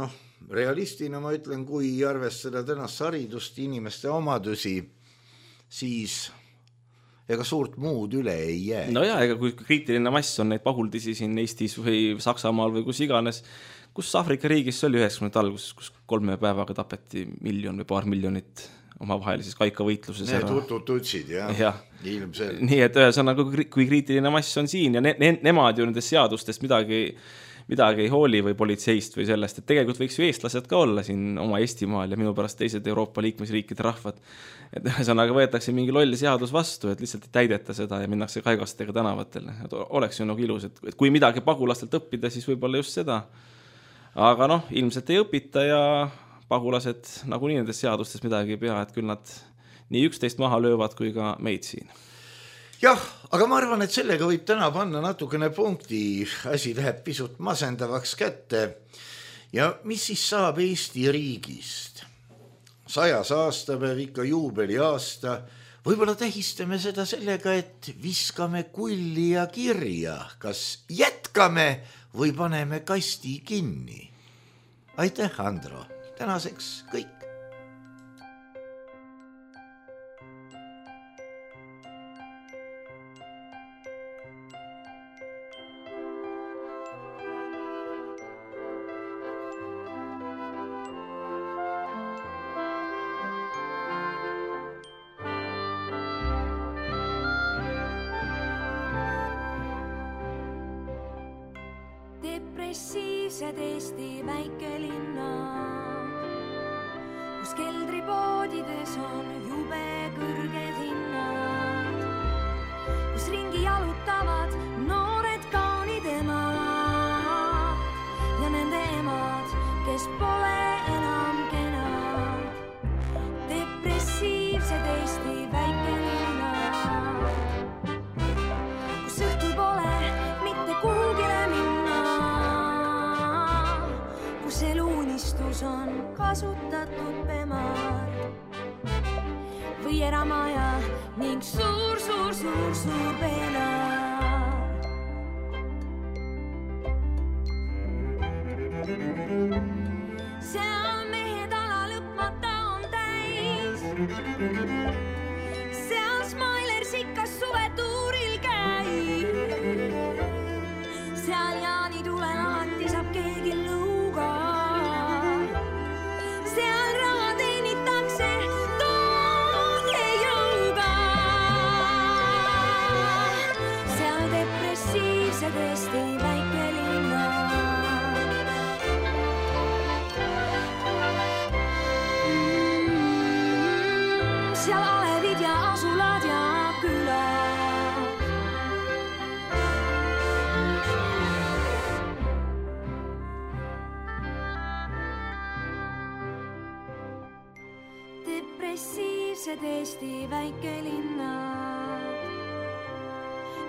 realistina ma ütlen, kui arvestada tänast haridust, inimeste omadusi, siis ega suurt muud üle ei jää. Ega kui kriitiline mass on neid paguldisi siin Eestis või Saksamaal või kus iganes, kus Aafrika riigis oli 90 alguses, kus 3 päevaga tapeti 1 miljon või paar miljonit omavahelises kaikavõitluses. Need tutututsid, jah. Ilmselt. Nii, et ühesõnaga, kui kriitiline mass on siin ja nemad ju nendest seadustest midagi ei hooli või politseist või sellest, et tegelikult võiks ju eestlased ka olla siin oma Eestimaal ja minu pärast teised Euroopa liikmesriikide rahvad. Et ühesõnaga võetakse mingi loll seadus vastu, et lihtsalt ei täideta seda ja minnakse kaigastega tänavatele. Et oleks ju ilus, et kui midagi pagulastelt õppida, siis võib-olla just seda. Aga ilmselt ei õpita ja pagulased nagunii nendest seadustest midagi ei pea, et küll nad nii üksteist maha löövad kui ka meid siin. Jah, aga ma arvan, et sellega võib täna panna natukene punkti, asi läheb pisut masendavaks kätte. Ja mis siis saab Eesti riigist? 100 aastapäev, ikka juubeli aasta. Võib-olla tähistame seda sellega, et viskame kulli ja kirja. Kas jätkame või paneme kasti kinni? Aitäh, Andro. Tänaseks kõik. Depressiivsed Eesti väikelinnad, kus keldripoodides on jube kõrged hinnad, kus ringi jalutavad noored kaunid emad ja nende emad, kes pole enam kenad. Depressiivsed Eesti väikelinnad, kus õhtul pole mitte kuhugile minna, kus eluunistus on kasutatud pemar või eramaja ning suur peenar. Seal mehed ala lõpmata on täis, seal Smiler sikas suvetuuril käib, seal Jaani tulen alati saab keegi lõuga, seal raha teenitakse tooge jõuga, seal depressiivsed Eesti väikelinnad, seal alevid ja asulad ja külad. Depressiivsed Eesti väikelinnad,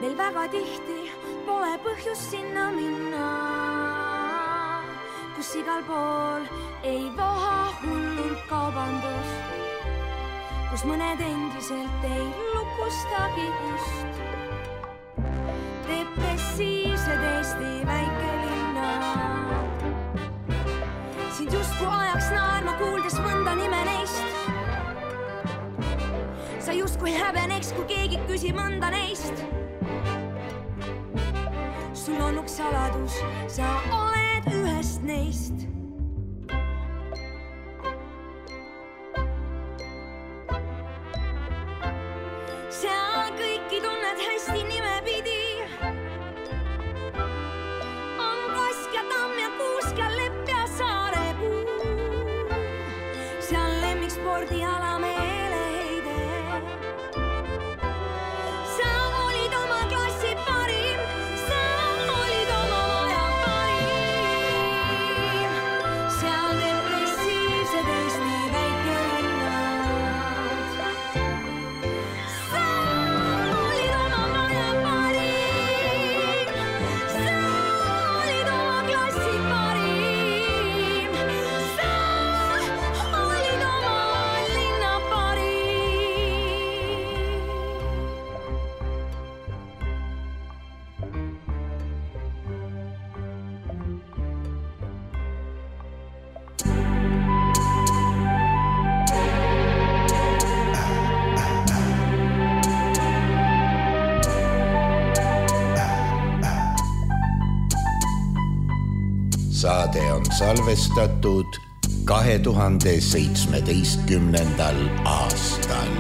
meil väga tihti pole põhjust sinna minna, kus igal pool ei voha hullult kaubandus, kus mõned endiselt ei lukustagi just. Depressiivsed Eesti väikelinnad, sind justkui ajaks naerma kuuldes mõnda nime neist. Sa justkui häbeneks, kui keegi küsib mõnda neist. Sul on üks saladus, sa oled ühest neist. Seal kõiki tunned hästi nimepidi, on Kask ja Tamm ja Kuusk ja Lepp ja Saarepuu, seal lemmikspordiala meeleheide. Sa olid oma klassi parim, sa olid oma maja parim, seal depressiivsed Eesti väikelinnad. Saade on salvestatud 2017. aastal.